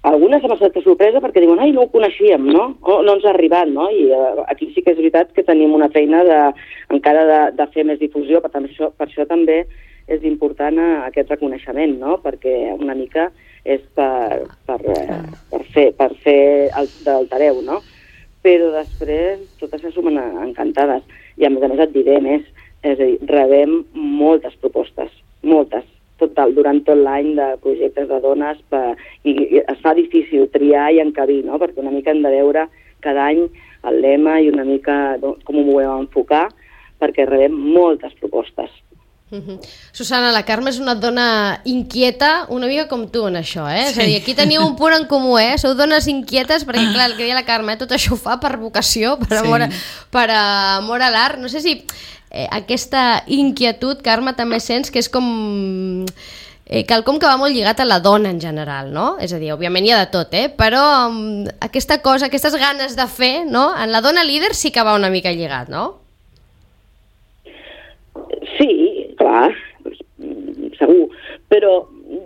Algunes amb certa sorpresa perquè diuen, ai, no ho coneixíem, no? O no ens ha arribat, no? I uh, aquí sí que és veritat que tenim una feina de, encara de, de fer més difusió, per, tant, això, per això també és important uh, aquest reconeixement, no? Perquè una mica és per, per, uh, per fer, per fer el, d'altareu, no? Però després totes se sumen encantades. I a més a més et diré més, és a dir, rebem moltes propostes, moltes. Total, durant tot l'any de projectes de dones per, i, i es fa difícil triar i encabir, no? Perquè una mica hem de veure cada any el lema i una mica com ho volem enfocar, perquè rebem moltes propostes. Uh-huh. Susana, la Carme és una dona inquieta, una mica com tu en això, eh? Sí. És a dir, aquí teniu un punt en comú, eh? Sou dones inquietes, perquè clar, el que deia la Carme, eh? Tot això ho fa per vocació, per amor, sí. per amor a l'art. No sé si eh, aquesta inquietud, Carme, també sents que és com... Eh, quelcom que va molt lligat a la dona en general, no? És a dir, òbviament hi ha de tot, eh? Però um, aquesta cosa, aquestes ganes de fer, no? En la dona líder sí que va una mica lligat, no? Sí, clar, segur, però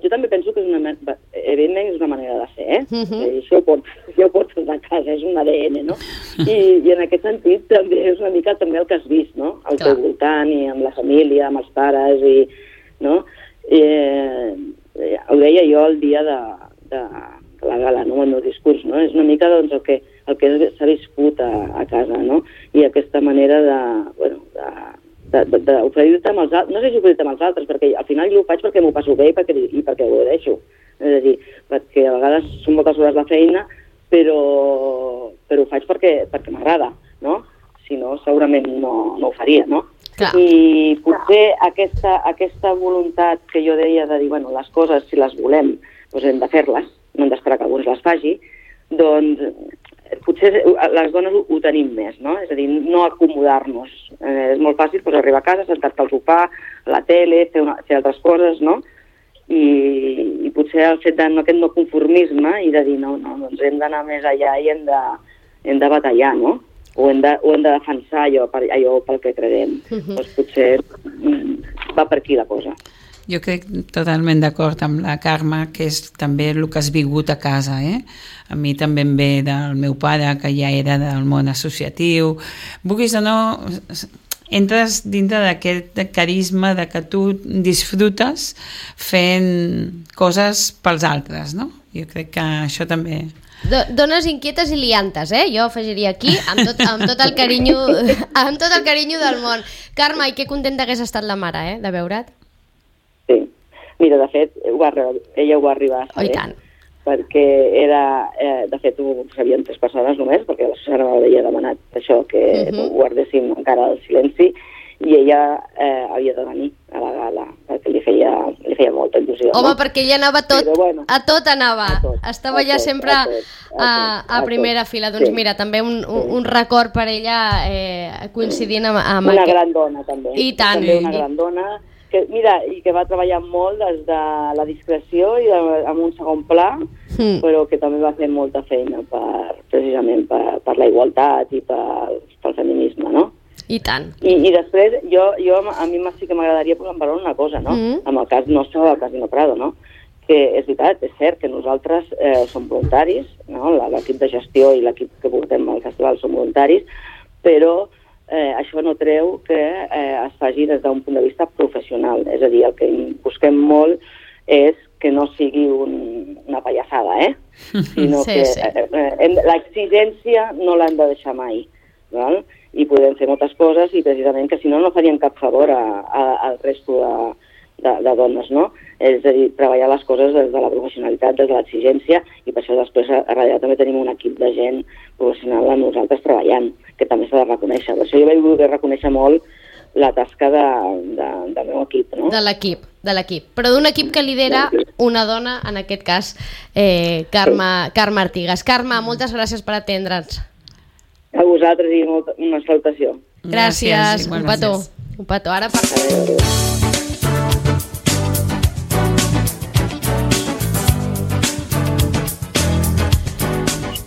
jo també penso que és una, evidentment és una manera de fer, eh? Uh-huh. Això ho portes, ja ho portes a casa, és un A D N, no? I, I en aquest sentit també és una mica també el que has vist, no? Al teu voltant i amb la família, amb els pares, i, no? I, eh, ho deia jo el dia de, de, de la gala, no? El meu discurs, no? És una mica doncs, el que, el que s'ha viscut a, a casa, no? I aquesta manera de, bueno, de d'oferir-te amb els altres, no sé si oferir-te amb els altres, perquè al final jo ho faig perquè m'ho passo bé i perquè, i perquè ho deixo. És a dir, perquè a vegades són moltes hores de feina, però, però ho faig perquè, perquè m'agrada, no? Si no, segurament no, no ho faria, no? Clar. I potser aquesta, aquesta voluntat que jo deia de dir, bueno, les coses, si les volem, doncs hem de fer-les, no hem d'esperar que algú les faci, doncs potser les dones ho, ho tenim més, no? És a dir, no acomodar-nos. Eh, és molt fàcil pues, arribar a casa, sentar-te al sofà, a la tele, fer, una, fer altres coses, no? I, i potser el fet de no, aquest no conformisme i de dir, no, no, doncs hem d'anar més allà i hem de, hem de batallar, no? O hem de, o hem de defensar allò, per, allò pel que creiem. Uh-huh. Doncs potser mm, va per aquí la cosa. Jo crec totalment d'acord amb la Carme, que és també el que has vingut a casa, eh? A mi també em ve del meu pare, que ja era del món associatiu. Vulguis o no, entres dintre d'aquest carisma de que tu disfrutes fent coses pels altres, no? Jo crec que això també... Dones inquietes i liantes, eh? Jo afegiria aquí, amb tot, amb tot el carinyo amb tot el carinyo del món. Carme, i que contenta hagués estat la mare, eh? De veure't. Sí. Mira, de fet, ho va, ella ho va arribar a saber. Oh, i tant. Perquè era, eh, de fet, ho sabien tres persones només, perquè la Susana m'havia demanat això, que uh-huh. guardéssim encara el silenci, i ella eh, havia de venir a la gala, perquè li feia, li feia molta il·lusió. Home, no? perquè ella anava tot, Però, bueno, a tot anava, a tot, estava a ja tot, sempre a, tot, a, tot, a, a primera tot. Fila. Doncs sí. Mira, també un, un, un record per ella eh, coincidint amb, amb una aquest... gran dona, també. I tant. També una gran dona, que, mira, i que va treballar molt des de la discreció i de, amb un segon pla, mm. però que també va fer molta feina per, precisament per, per la igualtat i per, pel feminisme, no? I tant. I, i després, jo, jo a mi sí que m'agradaria posar en valor una cosa, no? Mm. Amb el cas nostre del Casino Prado, no? Que és veritat, és cert que nosaltres eh, som voluntaris, no? L'equip de gestió i l'equip que portem al festival som voluntaris, però eh, això no treu que eh, es faci des d'un punt de vista professional. És a dir, el que busquem molt és que no sigui un, una pallassada, eh? Sinó sí, que sí. Eh, eh, l'exigència no l'hem de deixar mai, val? I podem fer moltes coses i precisament que si no no farien cap favor a, a, al resto de, de, de dones, no? És a dir, treballar les coses des de la professionalitat, des de l'exigència, i per això després a, a darrere també tenim un equip de gent professional amb nosaltres treballant, que també s'ha de reconèixer. Per això jo vaig voler reconèixer molt la tasca de, de, del meu equip, no? De l'equip, de l'equip. Però d'un equip que lidera una dona, en aquest cas, eh, Carme, sí. Carme Artigas. Carme, moltes gràcies per atendre'ns. A vosaltres i molta, una salutació. Gràcies, gràcies un petó. Un petó. Ara per...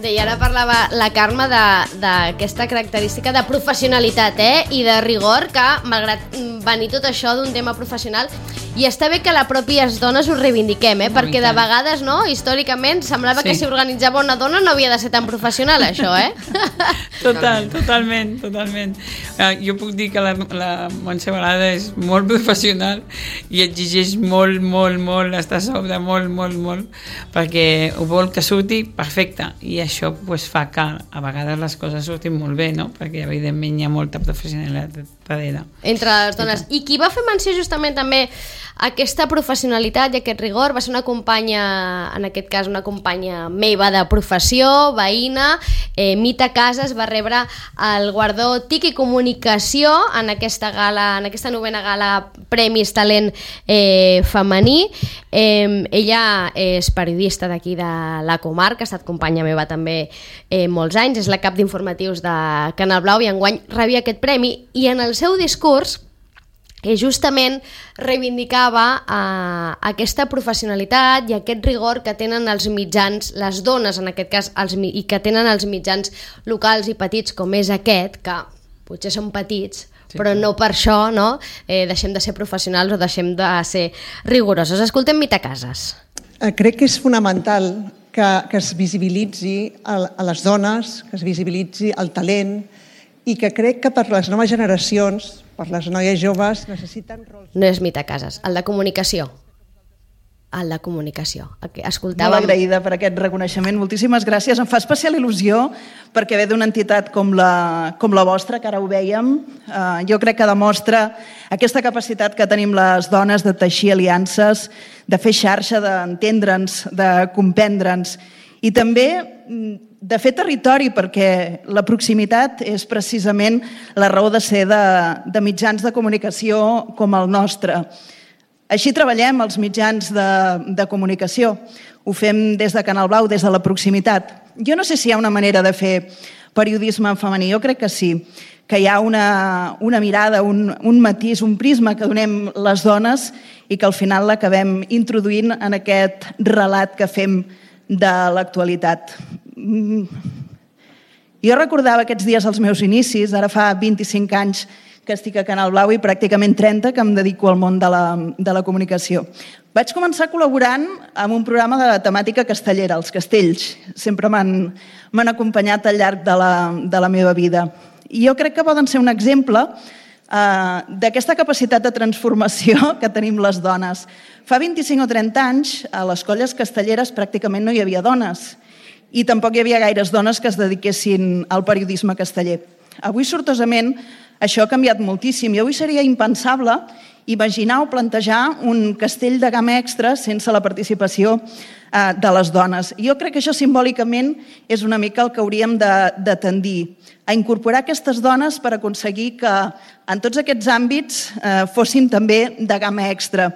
I ara parlava la Carme d'aquesta característica de professionalitat, eh? I de rigor, que malgrat venir tot això d'un tema professional, i està bé que la pròpies dones ho reivindiquem, eh? Perquè de vegades, no? Històricament semblava sí. que si organitzava una dona no havia de ser tan professional, això, eh? Total, totalment, totalment. Uh, jo puc dir que la, la Montse Balada és molt professional i exigeix molt, molt, molt, està a sobre molt, molt, molt, perquè ho vol que surti perfecte, i això pues, fa que a vegades les coses surtin molt bé, no? Perquè evidentment hi ha molta professionalitat darrere. Entre les dones. I qui va fer menció justament també aquesta professionalitat i aquest rigor va ser una companya, en aquest cas una companya meva de professió, veïna, eh, Mita Casas, va rebre el guardó T I C I Comunicació comunicació en aquesta gala, en aquesta novena gala Premis Talent eh, Femení. Eh, ella és periodista d'aquí de la comarca, ha estat companya meva també eh, molts anys, és la cap d'informatius de Canal Blau i enguany rebia aquest premi, i en el seu discurs que justament reivindicava eh, aquesta professionalitat i aquest rigor que tenen els mitjans, les dones en aquest cas, els, i que tenen els mitjans locals i petits com és aquest, que potser són petits, sí, però no per això no, eh, deixem de ser professionals o deixem de ser rigorosos. Escoltem Mita Casas. Eh, crec que és fonamental que, que es visibilitzi a, a les dones, que es visibilitzi el talent, i que crec que per les noves generacions, per les noies joves, necessiten rols... No és Mita Casas, el de comunicació. El de comunicació. Escoltàvem... Molt agraïda per aquest reconeixement. Moltíssimes gràcies. Em fa especial il·lusió perquè ve d'una entitat com la, com la vostra, que ara ho vèiem. Uh, jo crec que demostra aquesta capacitat que tenim les dones de teixir aliances, de fer xarxa, d'entendre'ns, de comprendre'ns. I també de fer territori, perquè la proximitat és precisament la raó de ser de, de mitjans de comunicació com el nostre. Així treballem els mitjans de, de comunicació. Ho fem des de Canal Blau, des de la proximitat. Jo no sé si hi ha una manera de fer periodisme en femení, jo crec que sí, que hi ha una, una mirada, un, un matís, un prisma que donem les dones i que al final l'acabem introduint en aquest relat que fem de l'actualitat. Jo recordava aquests dies els meus inicis, ara fa vint-i-cinc anys que estic a Canal Blau i pràcticament trenta que em dedico al món de la, de la comunicació. Vaig començar col·laborant en un programa de temàtica castellera, els castells. Sempre m'han m'han acompanyat al llarg de la, de la meva vida. I jo crec que poden ser un exemple eh, d'aquesta capacitat de transformació que tenim les dones. Fa vint-i-cinc o trenta anys, a les colles castelleres pràcticament no hi havia dones i tampoc hi havia gaires dones que es dediquessin al periodisme casteller. Avui, sortosament, això ha canviat moltíssim i avui seria impensable imaginar o plantejar un castell de gamma extra sense la participació eh, de les dones. Jo crec que això simbòlicament és una mica el que hauríem de, de tendir, a incorporar aquestes dones per aconseguir que en tots aquests àmbits eh, fossin també de gamma extra.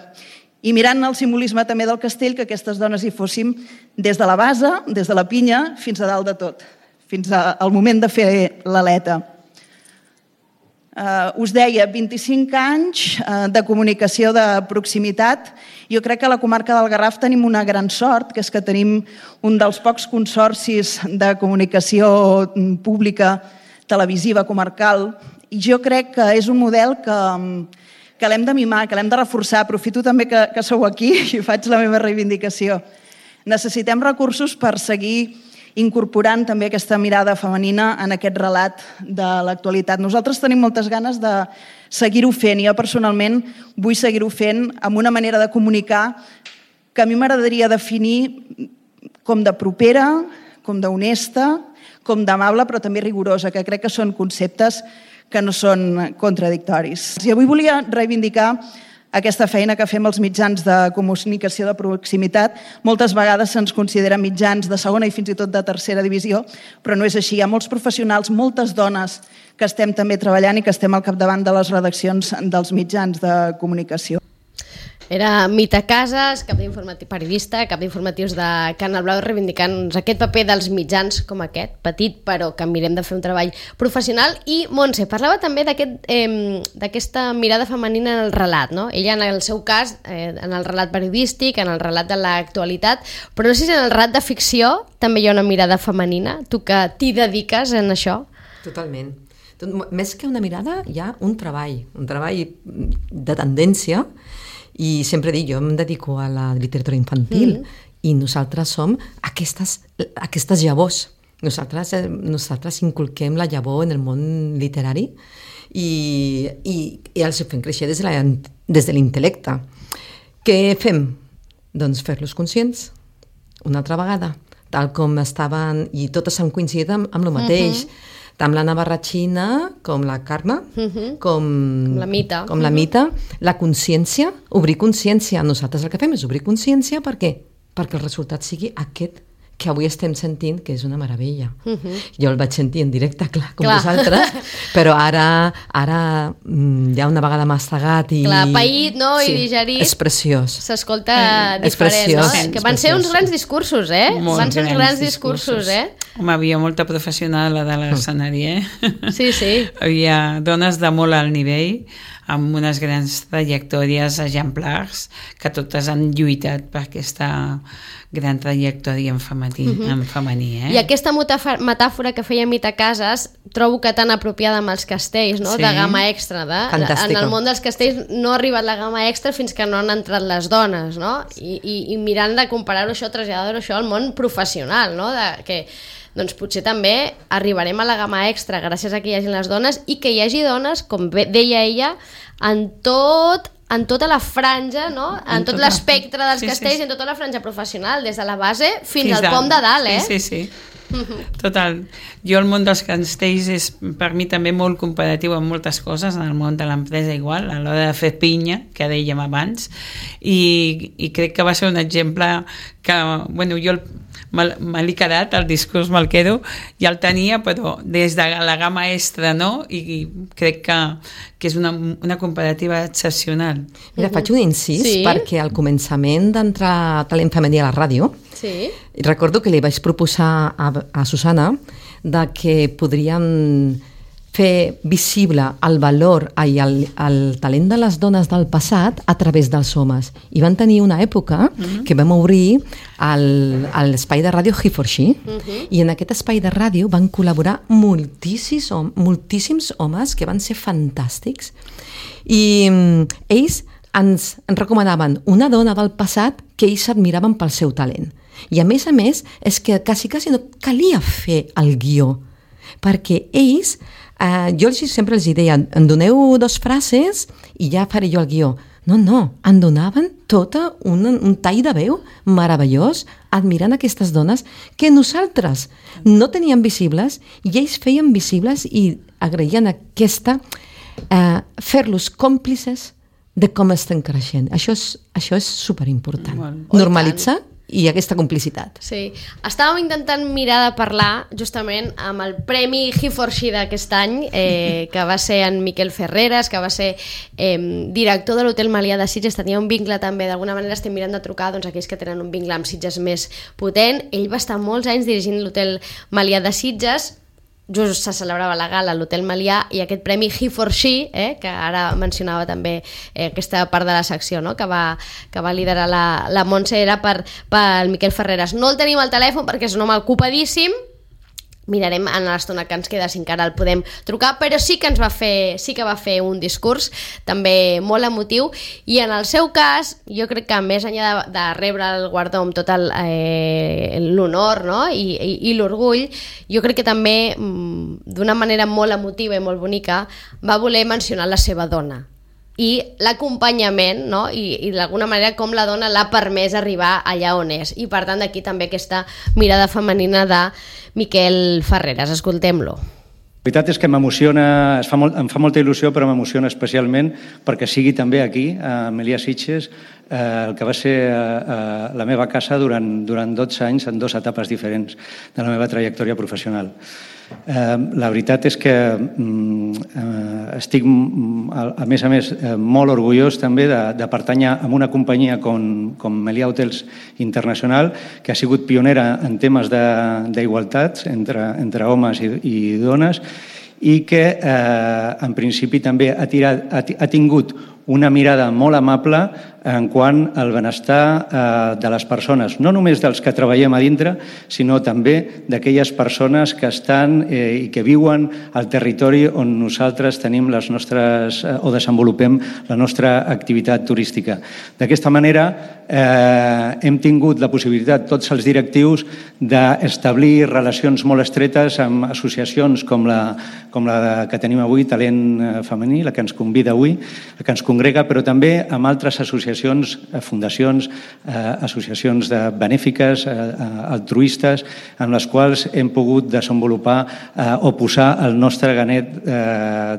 I mirant el simbolisme també del castell, que aquestes dones hi fóssim des de la base, des de la pinya, fins a dalt de tot, fins al moment de fer l'aleta. Uh, us deia, vint-i-cinc anys uh, de comunicació de proximitat. Jo crec que a la comarca del Garraf tenim una gran sort, que és que tenim un dels pocs consorcis de comunicació pública, televisiva, comarcal, i jo crec que és un model que, que l'hem de mimar, que l'hem de reforçar. Aprofito també que, que sou aquí i faig la meva reivindicació. Necessitem recursos per seguir incorporant també aquesta mirada femenina en aquest relat de l'actualitat. Nosaltres tenim moltes ganes de seguir-ho fent i jo personalment vull seguir-ho fent amb una manera de comunicar que a mi m'agradaria definir com de propera, com d'honesta, com d'amable, però també rigorosa, que crec que són conceptes que no són contradictoris. I avui volia reivindicar aquesta feina que fem els mitjans de comunicació de proximitat. Moltes vegades se'ns considera mitjans de segona i fins i tot de tercera divisió, però no és així. Hi ha molts professionals, moltes dones que estem també treballant i que estem al capdavant de les redaccions dels mitjans de comunicació. Era Mita Casas, cap d'informatius, periodista, cap d'informatius de Canal Blau, reivindicant aquest paper dels mitjans com aquest, petit, però que mirem de fer un treball professional. I Montse, parlava també d'aquest, eh, d'aquesta mirada femenina en el relat, no? Ella, en el seu cas, eh, en el relat periodístic, en el relat de l'actualitat, però no sé si en el relat de ficció també hi ha una mirada femenina, tu que t'hi dediques en això. Totalment. Més que una mirada, hi ha un treball, un treball de tendència. I sempre dic, jo em dedico a la literatura infantil mm. i nosaltres som aquestes, aquestes llavors. Nosaltres, nosaltres inculquem la llavor en el món literari i, i, i els fem créixer des de, la, des de l'intel·lecte. Què fem? Doncs fer-los conscients una altra vegada, tal com estaven, i totes han coincidit amb, amb el mateix. Mm-hmm. Tant la Navarratxina com la Carme, uh-huh. com, com la Mita, com uh-huh. la, Mita la consciència, obrir consciència. Nosaltres el que fem és obrir consciència, per què? Perquè el resultat sigui aquest que avui estem sentint que és una meravella. Uh -huh. Jo el vaig sentir en directe, clar, com clar. vosaltres, però ara, ara ja una vegada mastegat i... Clar, paït, no?, sí, i digerit. És preciós. S'escolta mm. diferent, preciós, no? Que van ser uns grans discursos, eh? Molt van ser uns grans grans discursos, discursos. eh? Home, havia molta professional a dalt de l'escenari, eh? Sí, sí. Hi havia dones de molt alt nivell, amb unes grans trajectòries exemplars, que totes han lluitat per aquesta gran trajectòria en femení, uh -huh. en femení eh? I aquesta metàfora que feia Mita Casas trobo que tan apropiada amb els castells, no? Sí. De gamma extra. De, Fantàstica. En el món dels castells no ha arribat la gamma extra fins que no han entrat les dones, no? I, i, i mirant de comparar-ho això, traslladar-ho això al món professional, no? De, que doncs potser també arribarem a la gamma extra gràcies a que hi hagi les dones i que hi hagi dones, com deia ella, en tot en tota la franja, no? En, en tot tota... l'espectre dels sí, castells, sí, sí. En tota la franja professional, des de la base fins, fins al pom de dalt, eh? Sí, sí, sí. Total. Jo el món dels castells és per mi també molt comparatiu amb moltes coses, en el món de l'empresa igual, a l'hora de fer pinya, que dèiem abans, i, i crec que va ser un exemple que, bueno, jo me, me l'he quedat, el discurs me'l quedo, ja el tenia, però des de la gamma extra, no? I, i crec que, que és una, una comparativa excepcional. Mira, faig un incís, sí? Perquè al començament d'entrar a Talent Femení a la ràdio, sí? Recordo que li vaig proposar a, a Susana de que podríem fer visible el valor i el, el talent de les dones del passat a través dels homes. I van tenir una època uh-huh. que vam obrir l'espai de ràdio He for She uh-huh. i en aquest espai de ràdio van col·laborar moltíssims, moltíssims homes que van ser fantàstics. I um, ells ens, ens recomanaven una dona del passat que ells admiraven pel seu talent. I a més a més és que quasi, quasi no calia fer el guió, perquè ells, eh, jo els, sempre els deia, em doneu dos frases i ja faré jo el guió. No, no, em donaven tota un, un tall de veu meravellós admirant aquestes dones que nosaltres no teníem visibles i ells feien visibles i agraïen aquesta, eh, fer-los còmplices de com estem creixent. Això és, això és superimportant. Bueno, normalitzar i aquesta complicitat. Sí. Estàvem intentant mirar de parlar justament amb el Premi He for She d'aquest any, eh, que va ser en Miquel Ferreres, que va ser eh, director de l'Hotel Melià de Sitges, tenia un vincle també, d'alguna manera estem mirant de trucar doncs, aquells que tenen un vincle amb Sitges més potent. Ell va estar molts anys dirigint l'Hotel Melià de Sitges, just se celebrava la gala a l'Hotel Melià i aquest premi He for She, eh, que ara mencionava també eh, aquesta part de la secció, no? que, va, que va liderar la, la Montse, era per, per Miquel Ferreres. No el tenim al telèfon perquè és un home ocupadíssim, mirarem en l'estona que ens queda si encara el podem trucar, però sí que ens va fer, sí que va fer un discurs també molt emotiu i en el seu cas, jo crec que més enllà de, de rebre el guardó amb tot eh, l'honor, no? I, i, i l'orgull, jo crec que també d'una manera molt emotiva i molt bonica va voler mencionar la seva dona i l'acompanyament, no? I, i d'alguna manera com la dona l'ha permès arribar allà on és, i per tant d'aquí també aquesta mirada femenina de Miquel Ferreres. Escoltem-lo. La veritat és que m'emociona, es fa molt, em fa molta il·lusió, però m'emociona especialment perquè sigui també aquí, a Melià Sitges, eh, el que va ser eh, la meva casa durant, durant dotze anys en dues etapes diferents de la meva trajectòria professional. Eh, la veritat és que eh, estic, a més a més, eh, molt orgullós també de, de pertànyer a una companyia com, com Melià Hotels Internacional, que ha sigut pionera en temes d'igualtat entre, entre homes i, i dones i que eh, en principi també ha, tirat, ha, ha tingut una mirada molt amable en quant al benestar eh, de les persones, no només dels que treballem a dintre, sinó també d'aquelles persones que estan eh, i que viuen al territori on nosaltres tenim les nostres, eh, o desenvolupem la nostra activitat turística. D'aquesta manera eh, hem tingut la possibilitat, tots els directius, d'establir relacions molt estretes amb associacions com la, com la que tenim avui, Talent Femení, la que ens convida avui, la que ens congrega, però també amb altres associacions, fundacions, associacions de benèfiques, altruistes, amb les quals hem pogut desenvolupar o posar el nostre granet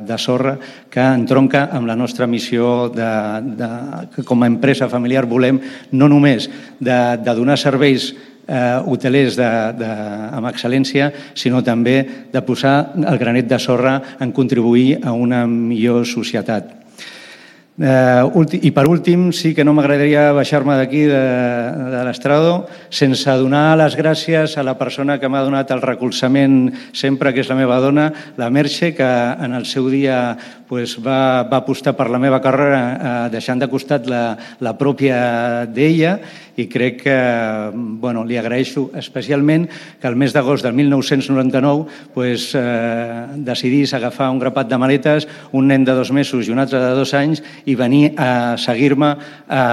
de sorra que entronca amb la nostra missió de, de, que com a empresa familiar volem no només de, de donar serveis eh, hotelers de, de, amb excel·lència, sinó també de posar el granet de sorra en contribuir a una millor societat. Uh, I per últim, sí que no m'agradaria baixar-me d'aquí de, de l'estrado sense donar les gràcies a la persona que m'ha donat el recolzament sempre, que és la meva dona, la Merche, que en el seu dia pues, va, va apostar per la meva carrera uh, deixant de costat la, la pròpia d'ella, i crec que bueno, li agraeixo especialment que el mes d'agost del mil nou-cents noranta-nou pues, eh, decidís agafar un grapat de maletes, un nen de dos mesos i un altre de dos anys, i venir a seguir-me a,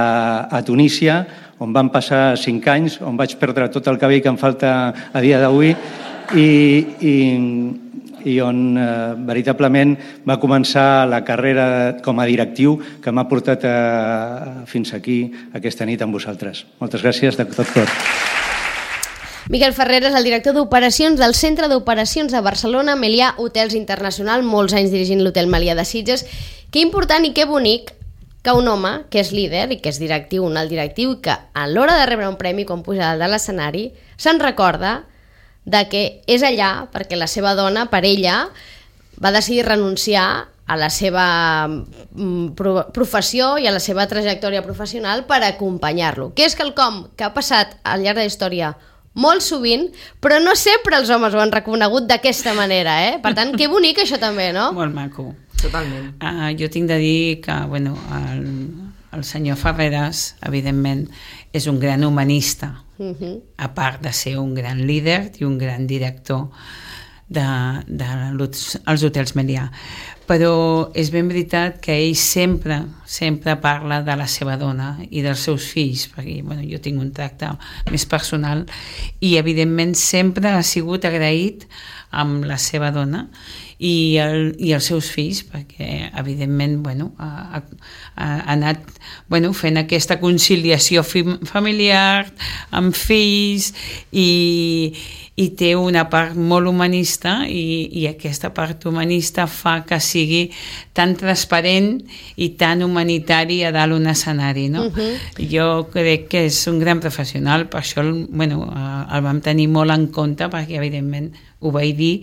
a Tunísia, on van passar cinc anys, on vaig perdre tot el cabell que em falta a dia d'avui, i, i, i on eh, veritablement va començar la carrera com a directiu que m'ha portat a, fins aquí aquesta nit amb vosaltres. Moltes gràcies de tot cor. Miquel Ferrer és el director d'operacions del Centre d'Operacions de Barcelona, Melià Hotels Internacional, molts anys dirigint l'Hotel Melià de Sitges. Que important i que bonic que un home que és líder i que és directiu, un alt directiu, que a l'hora de rebre un premi quan puja de l'escenari se'n recorda de que és allà perquè la seva dona, per ella, va decidir renunciar a la seva professió i a la seva trajectòria professional per acompanyar-lo, que és quelcom que ha passat al llarg de la història molt sovint, però no sempre els homes ho han reconegut d'aquesta manera, eh? Per tant, que bonic això també, no? Molt maco. Totalment. Uh, jo tinc de dir que bueno, el, el senyor Ferreras, evidentment, és un gran humanista, uh-huh. a part de ser un gran líder i un gran director de, de els hotels Melià. Però és ben veritat que ell sempre, sempre parla de la seva dona i dels seus fills, perquè bueno, jo tinc un tracte més personal, i evidentment sempre ha sigut agraït amb la seva dona i, el, i els seus fills, perquè evidentment bueno, ha, ha, ha anat bueno, fent aquesta conciliació familiar amb fills i, i té una part molt humanista i, i aquesta part humanista fa que sigui tan transparent i tan humanitari a dalt un escenari, no? Uh-huh. Jo crec que és un gran professional, per això bueno, el vam tenir molt en compte, perquè evidentment ho vaig dir,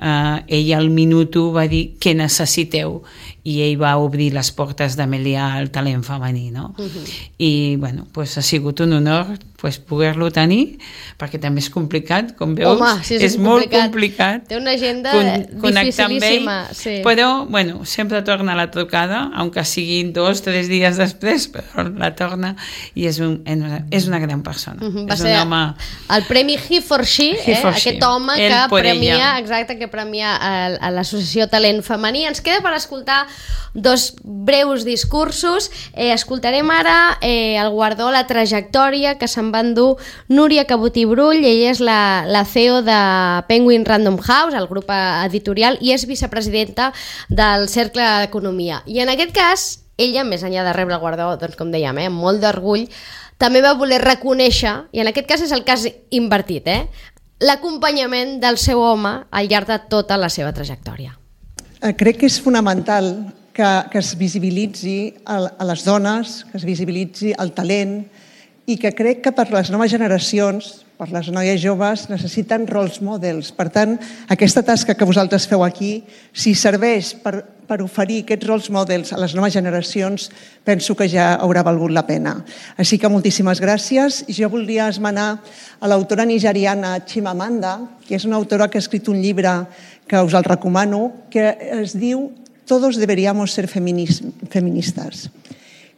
uh, ell al minut u va dir què necessiteu i ell va obrir les portes de Melià al talent femení, no? Uh-huh. I bueno, pues ha sigut un honor pues, poder-lo tenir, perquè també és complicat, com veus. Home, sí, és, és complicat. molt complicat. Té una agenda con- dificilíssima. Sí. Però, bueno, sempre torna la trucada, aunque siguin dos, tres dies després, però la torna i és, un, és una gran persona. Uh-huh. Va és ser un home... el premi He for She, He eh? for aquest she. home El que por premia, ella. exacte, que premia a, a l'associació Talent Femení. Ens queda per escoltar dos breus discursos. Eh, escoltarem ara eh, el guardó, la trajectòria que se'n va endur Núria Cabotí Brull. Ella és la, la C E O de Penguin Random House, el grup editorial, i és vicepresidenta del Cercle d'Economia. I en aquest cas, ella, més enllà de rebre el guardó, doncs, com dèiem, eh, amb molt d'orgull, també va voler reconèixer, i en aquest cas és el cas invertit, eh, l'acompanyament del seu home al llarg de tota la seva trajectòria. Crec que és fonamental que, que es visibilitzi a, a les dones, que es visibilitzi el talent, i que crec que per les noves generacions, per les noies joves, necessiten roles models. Per tant, aquesta tasca que vosaltres feu aquí, si serveix per, per oferir aquests roles models a les noves generacions, penso que ja haurà valgut la pena. Així que moltíssimes gràcies. Jo voldria esmenar a l'autora nigeriana Chimamanda, que és una autora que ha escrit un llibre que us el recomano, que es diu Todos deberíamos ser feministas.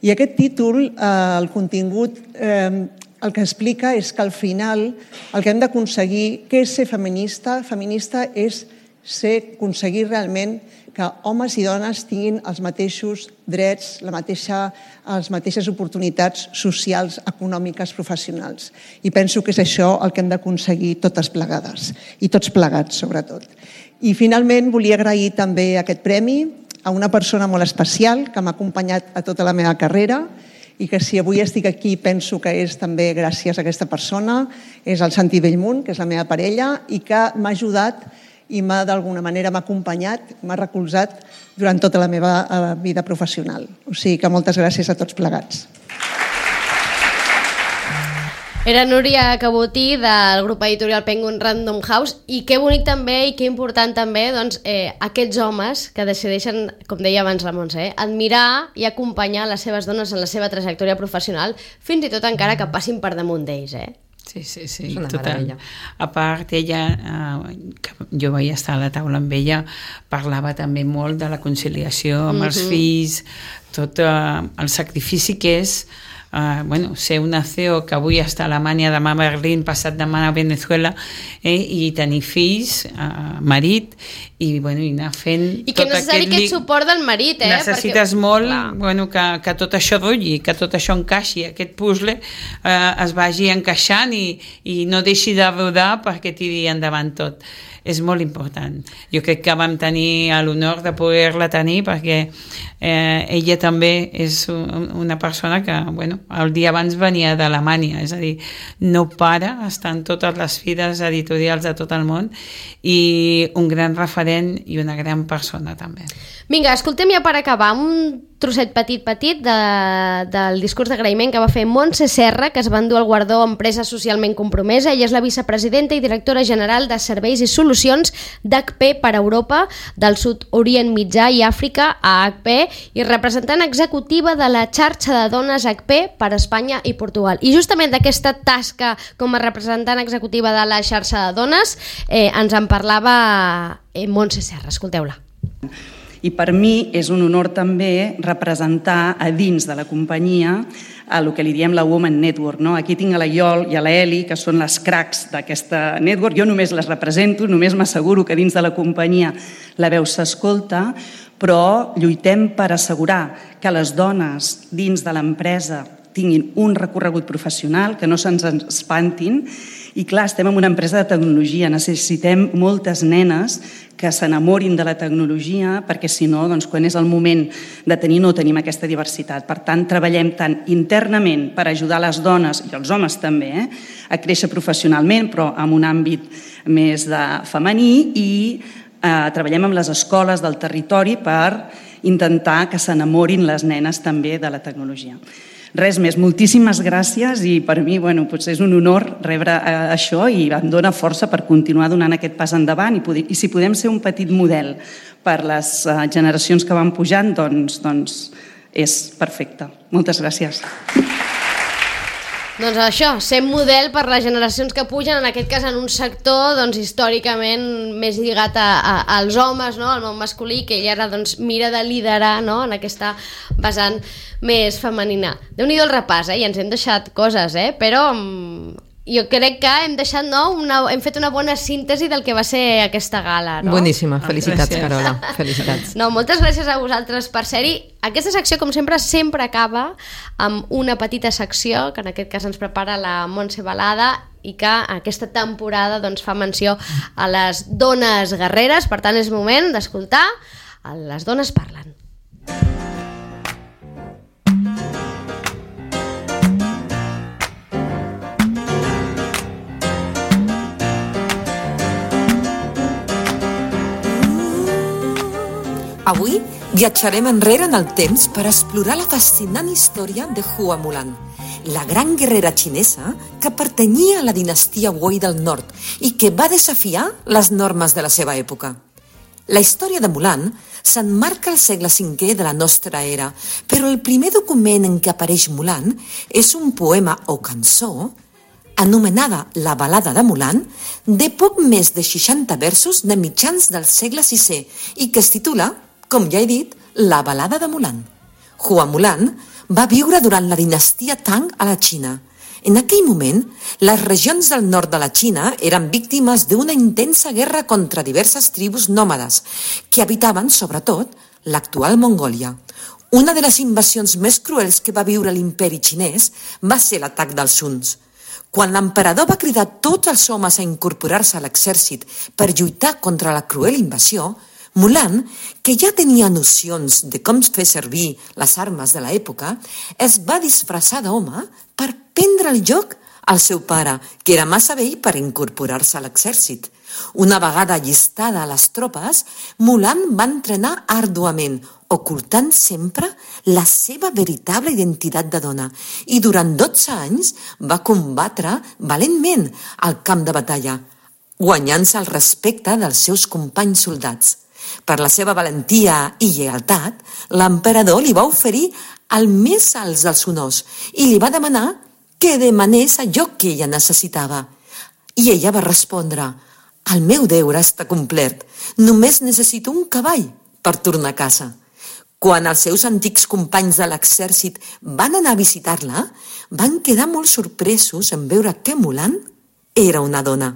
I aquest títol, eh, el contingut, eh, el que explica és que al final el que hem d'aconseguir, què és ser feminista? Feminista és ser, aconseguir realment que homes i dones tinguin els mateixos drets, la mateixa, les mateixes oportunitats socials, econòmiques, professionals. I penso que és això el que hem d'aconseguir totes plegades, i tots plegats, sobretot. I finalment volia agrair també aquest premi a una persona molt especial que m'ha acompanyat a tota la meva carrera i que si avui estic aquí penso que és també gràcies a aquesta persona, és el Santi Bellmunt, que és la meva parella, i que m'ha ajudat i m'ha d'alguna manera m'ha acompanyat, m'ha recolzat durant tota la meva vida professional. O sigui que moltes gràcies a tots plegats. Era Núria Cabotí del grup editorial Penguin Random House, i que bonic també i que important també doncs, eh, aquests homes que decideixen, com deia abans la Montse, eh, admirar i acompanyar les seves dones en la seva trajectòria professional, fins i tot encara que passin per damunt d'ells, eh? Sí, sí, sí, total. A part, ella, eh, que jo vaig estar a la taula amb ella, parlava també molt de la conciliació amb els fills, tot eh, el sacrifici que és Uh, bueno, ser una C E O que avui està a Alemanya, demà a Berlín, passat demà a Venezuela, eh, i tenir fills, uh, marit, i, bueno, i anar fent... I que no necessari aquest suport del marit, eh? Necessites perquè... molt bueno, que, que tot això rulli, que tot això encaixi, aquest puzzle eh, es vagi encaixant i, i no deixi de rodar perquè tiri endavant tot. És molt important. Jo crec que vam tenir l'honor de poder-la tenir perquè eh, ella també és una persona que, bueno, el dia abans venia d'Alemanya, és a dir, no para, està en totes les fides editorials de tot el món i un gran referent i una gran persona també. Vinga, escoltem ja per acabar un trosset petit petit de, del discurs d'agraïment que va fer Montse Serra, que es va endur el guardó Empresa Socialment Compromesa. Ella és la vicepresidenta i directora general de Serveis i Solucions d'H P per Europa, del Sud Orient Mitjà i Àfrica a H P, i representant executiva de la xarxa de dones H P per Espanya i Portugal. I justament d'aquesta tasca com a representant executiva de la xarxa de dones eh, ens en parlava eh, Montse Serra. Escolteu-la. I per mi és un honor també representar a dins de la companyia a el que li diem la Women Network. No? Aquí tinc a la Iol i a la Eli, que són les cracs d'aquesta network. Jo només les represento, només m'asseguro que dins de la companyia la veu s'escolta, però lluitem per assegurar que les dones dins de l'empresa tinguin un recorregut professional, que no se'ns espantin. I clar, estem en una empresa de tecnologia, necessitem moltes nenes que s'enamorin de la tecnologia perquè si no, doncs, quan és el moment de tenir, no tenim aquesta diversitat. Per tant, treballem tant internament per ajudar les dones, i els homes també, eh, a créixer professionalment, però en un àmbit més de femení, i eh, treballem amb les escoles del territori per intentar que s'enamorin les nenes també de la tecnologia. Res més, moltíssimes gràcies i per mi, bueno, potser és un honor rebre eh, això i em dona força per continuar donant aquest pas endavant i, poder, i si podem ser un petit model per les eh, generacions que van pujant, doncs, doncs és perfecte. Moltes gràcies. Doncs això, ser model per les generacions que pugen, en aquest cas en un sector doncs, històricament més lligat a, a, als homes, no? Al món masculí, que ella ara doncs, mira de liderar, no? En aquesta vessant més femenina. Déu-n'hi-do el repàs, eh? I ens hem deixat coses, eh? Però jo crec que hem deixat, no? Una, hem fet una bona síntesi del que va ser aquesta gala, no? Boníssima, felicitats, gràcies. Carola, felicitats. No, moltes gràcies a vosaltres per ser-hi. Aquesta secció, com sempre, sempre acaba amb una petita secció, que en aquest cas ens prepara la Montse Balada, i que aquesta temporada doncs, fa menció a les dones guerreres. Per tant, és moment d'escoltar Les dones parlen. Avui viatjarem enrere en el temps per explorar la fascinant història de Hua Mulan, la gran guerrera xinesa que pertanyia a la dinastia Wei del Nord i que va desafiar les normes de la seva època. La història de Mulan s'emmarca al segle cinquè de la nostra era, però el primer document en què apareix Mulan és un poema o cançó anomenada La balada de Mulan, de poc més de seixanta versos de mitjans del segle sisè i que es titula, com ja he dit, La balada de Mulan. Hua Mulan va viure durant la dinastia Tang a la Xina. En aquell moment, les regions del nord de la Xina eren víctimes d'una intensa guerra contra diverses tribus nòmades que habitaven, sobretot, l'actual Mongòlia. Una de les invasions més cruels que va viure l'imperi xinès va ser l'atac dels Huns. Quan l'emperador va cridar tots els homes a incorporar-se a l'exèrcit per lluitar contra la cruel invasió, Mulan, que ja tenia nocions de com fer servir les armes de l'època, es va disfressar d'home per prendre el joc al seu pare, que era massa vell per incorporar-se a l'exèrcit. Una vegada allistada a les tropes, Mulan va entrenar àrduament, ocultant sempre la seva veritable identitat de dona i durant dotze anys va combatre valentment al camp de batalla, guanyant-se el respecte dels seus companys soldats. Per la seva valentia i lleialtat, l'emperador li va oferir el més alt dels honors i li va demanar que demanés allò que ella necessitava. I ella va respondre: «El meu deure està complet, només necessito un cavall per tornar a casa». Quan els seus antics companys de l'exèrcit van anar a visitar-la, van quedar molt sorpresos en veure que Mulan era una dona.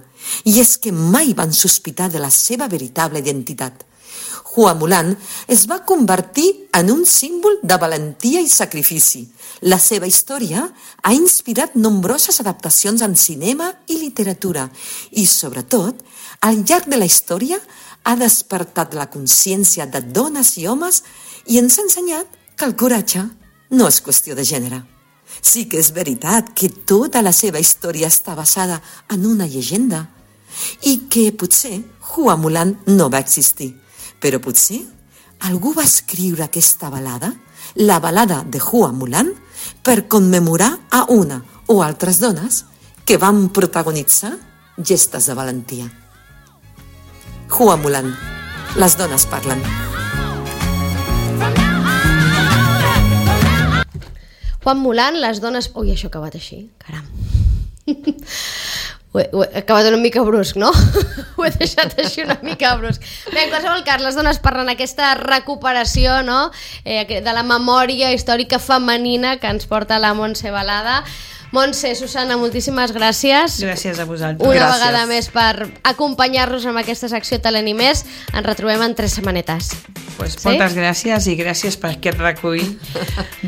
I és que mai van sospitar de la seva veritable identitat. Hua Mulan es va convertir en un símbol de valentia i sacrifici. La seva història ha inspirat nombroses adaptacions en cinema i literatura i, sobretot, al llarg de la història ha despertat la consciència de dones i homes i ens ha ensenyat que el coratge no és qüestió de gènere. Sí que és veritat que tota la seva història està basada en una llegenda i que potser Hua Mulan no va existir, però potser algú va escriure aquesta balada, la balada de Hua Mulan, per commemorar a una o altres dones que van protagonitzar gestes de valentia. Hua Mulan, les dones parlen. Juan Mulan, les dones... Ui, això ha acabat així, caram. Ho he, ho he acabat una mica brusc, no? Ho he deixat així una mica brusc. Bé, en qualsevol cas, les dones parlen aquesta recuperació, no? eh, de la memòria històrica femenina que ens porta la Montse Balada. Montse, Susana, moltíssimes gràcies. Gràcies a vosaltres. Una gràcies. vegada més per acompanyar-nos en aquesta secció Talent i Més. Ens retrobem en tres setmanetes. Pues sí? Moltes gràcies i gràcies per aquest recull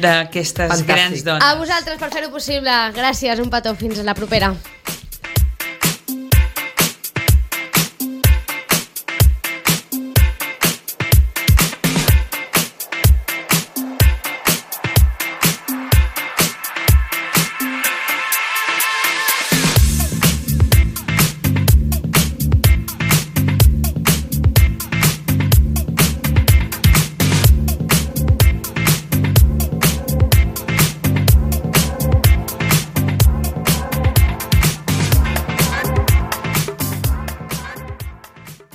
d'aquestes grans dones. A vosaltres per fer-ho possible. Gràcies, un petó. Fins a la propera.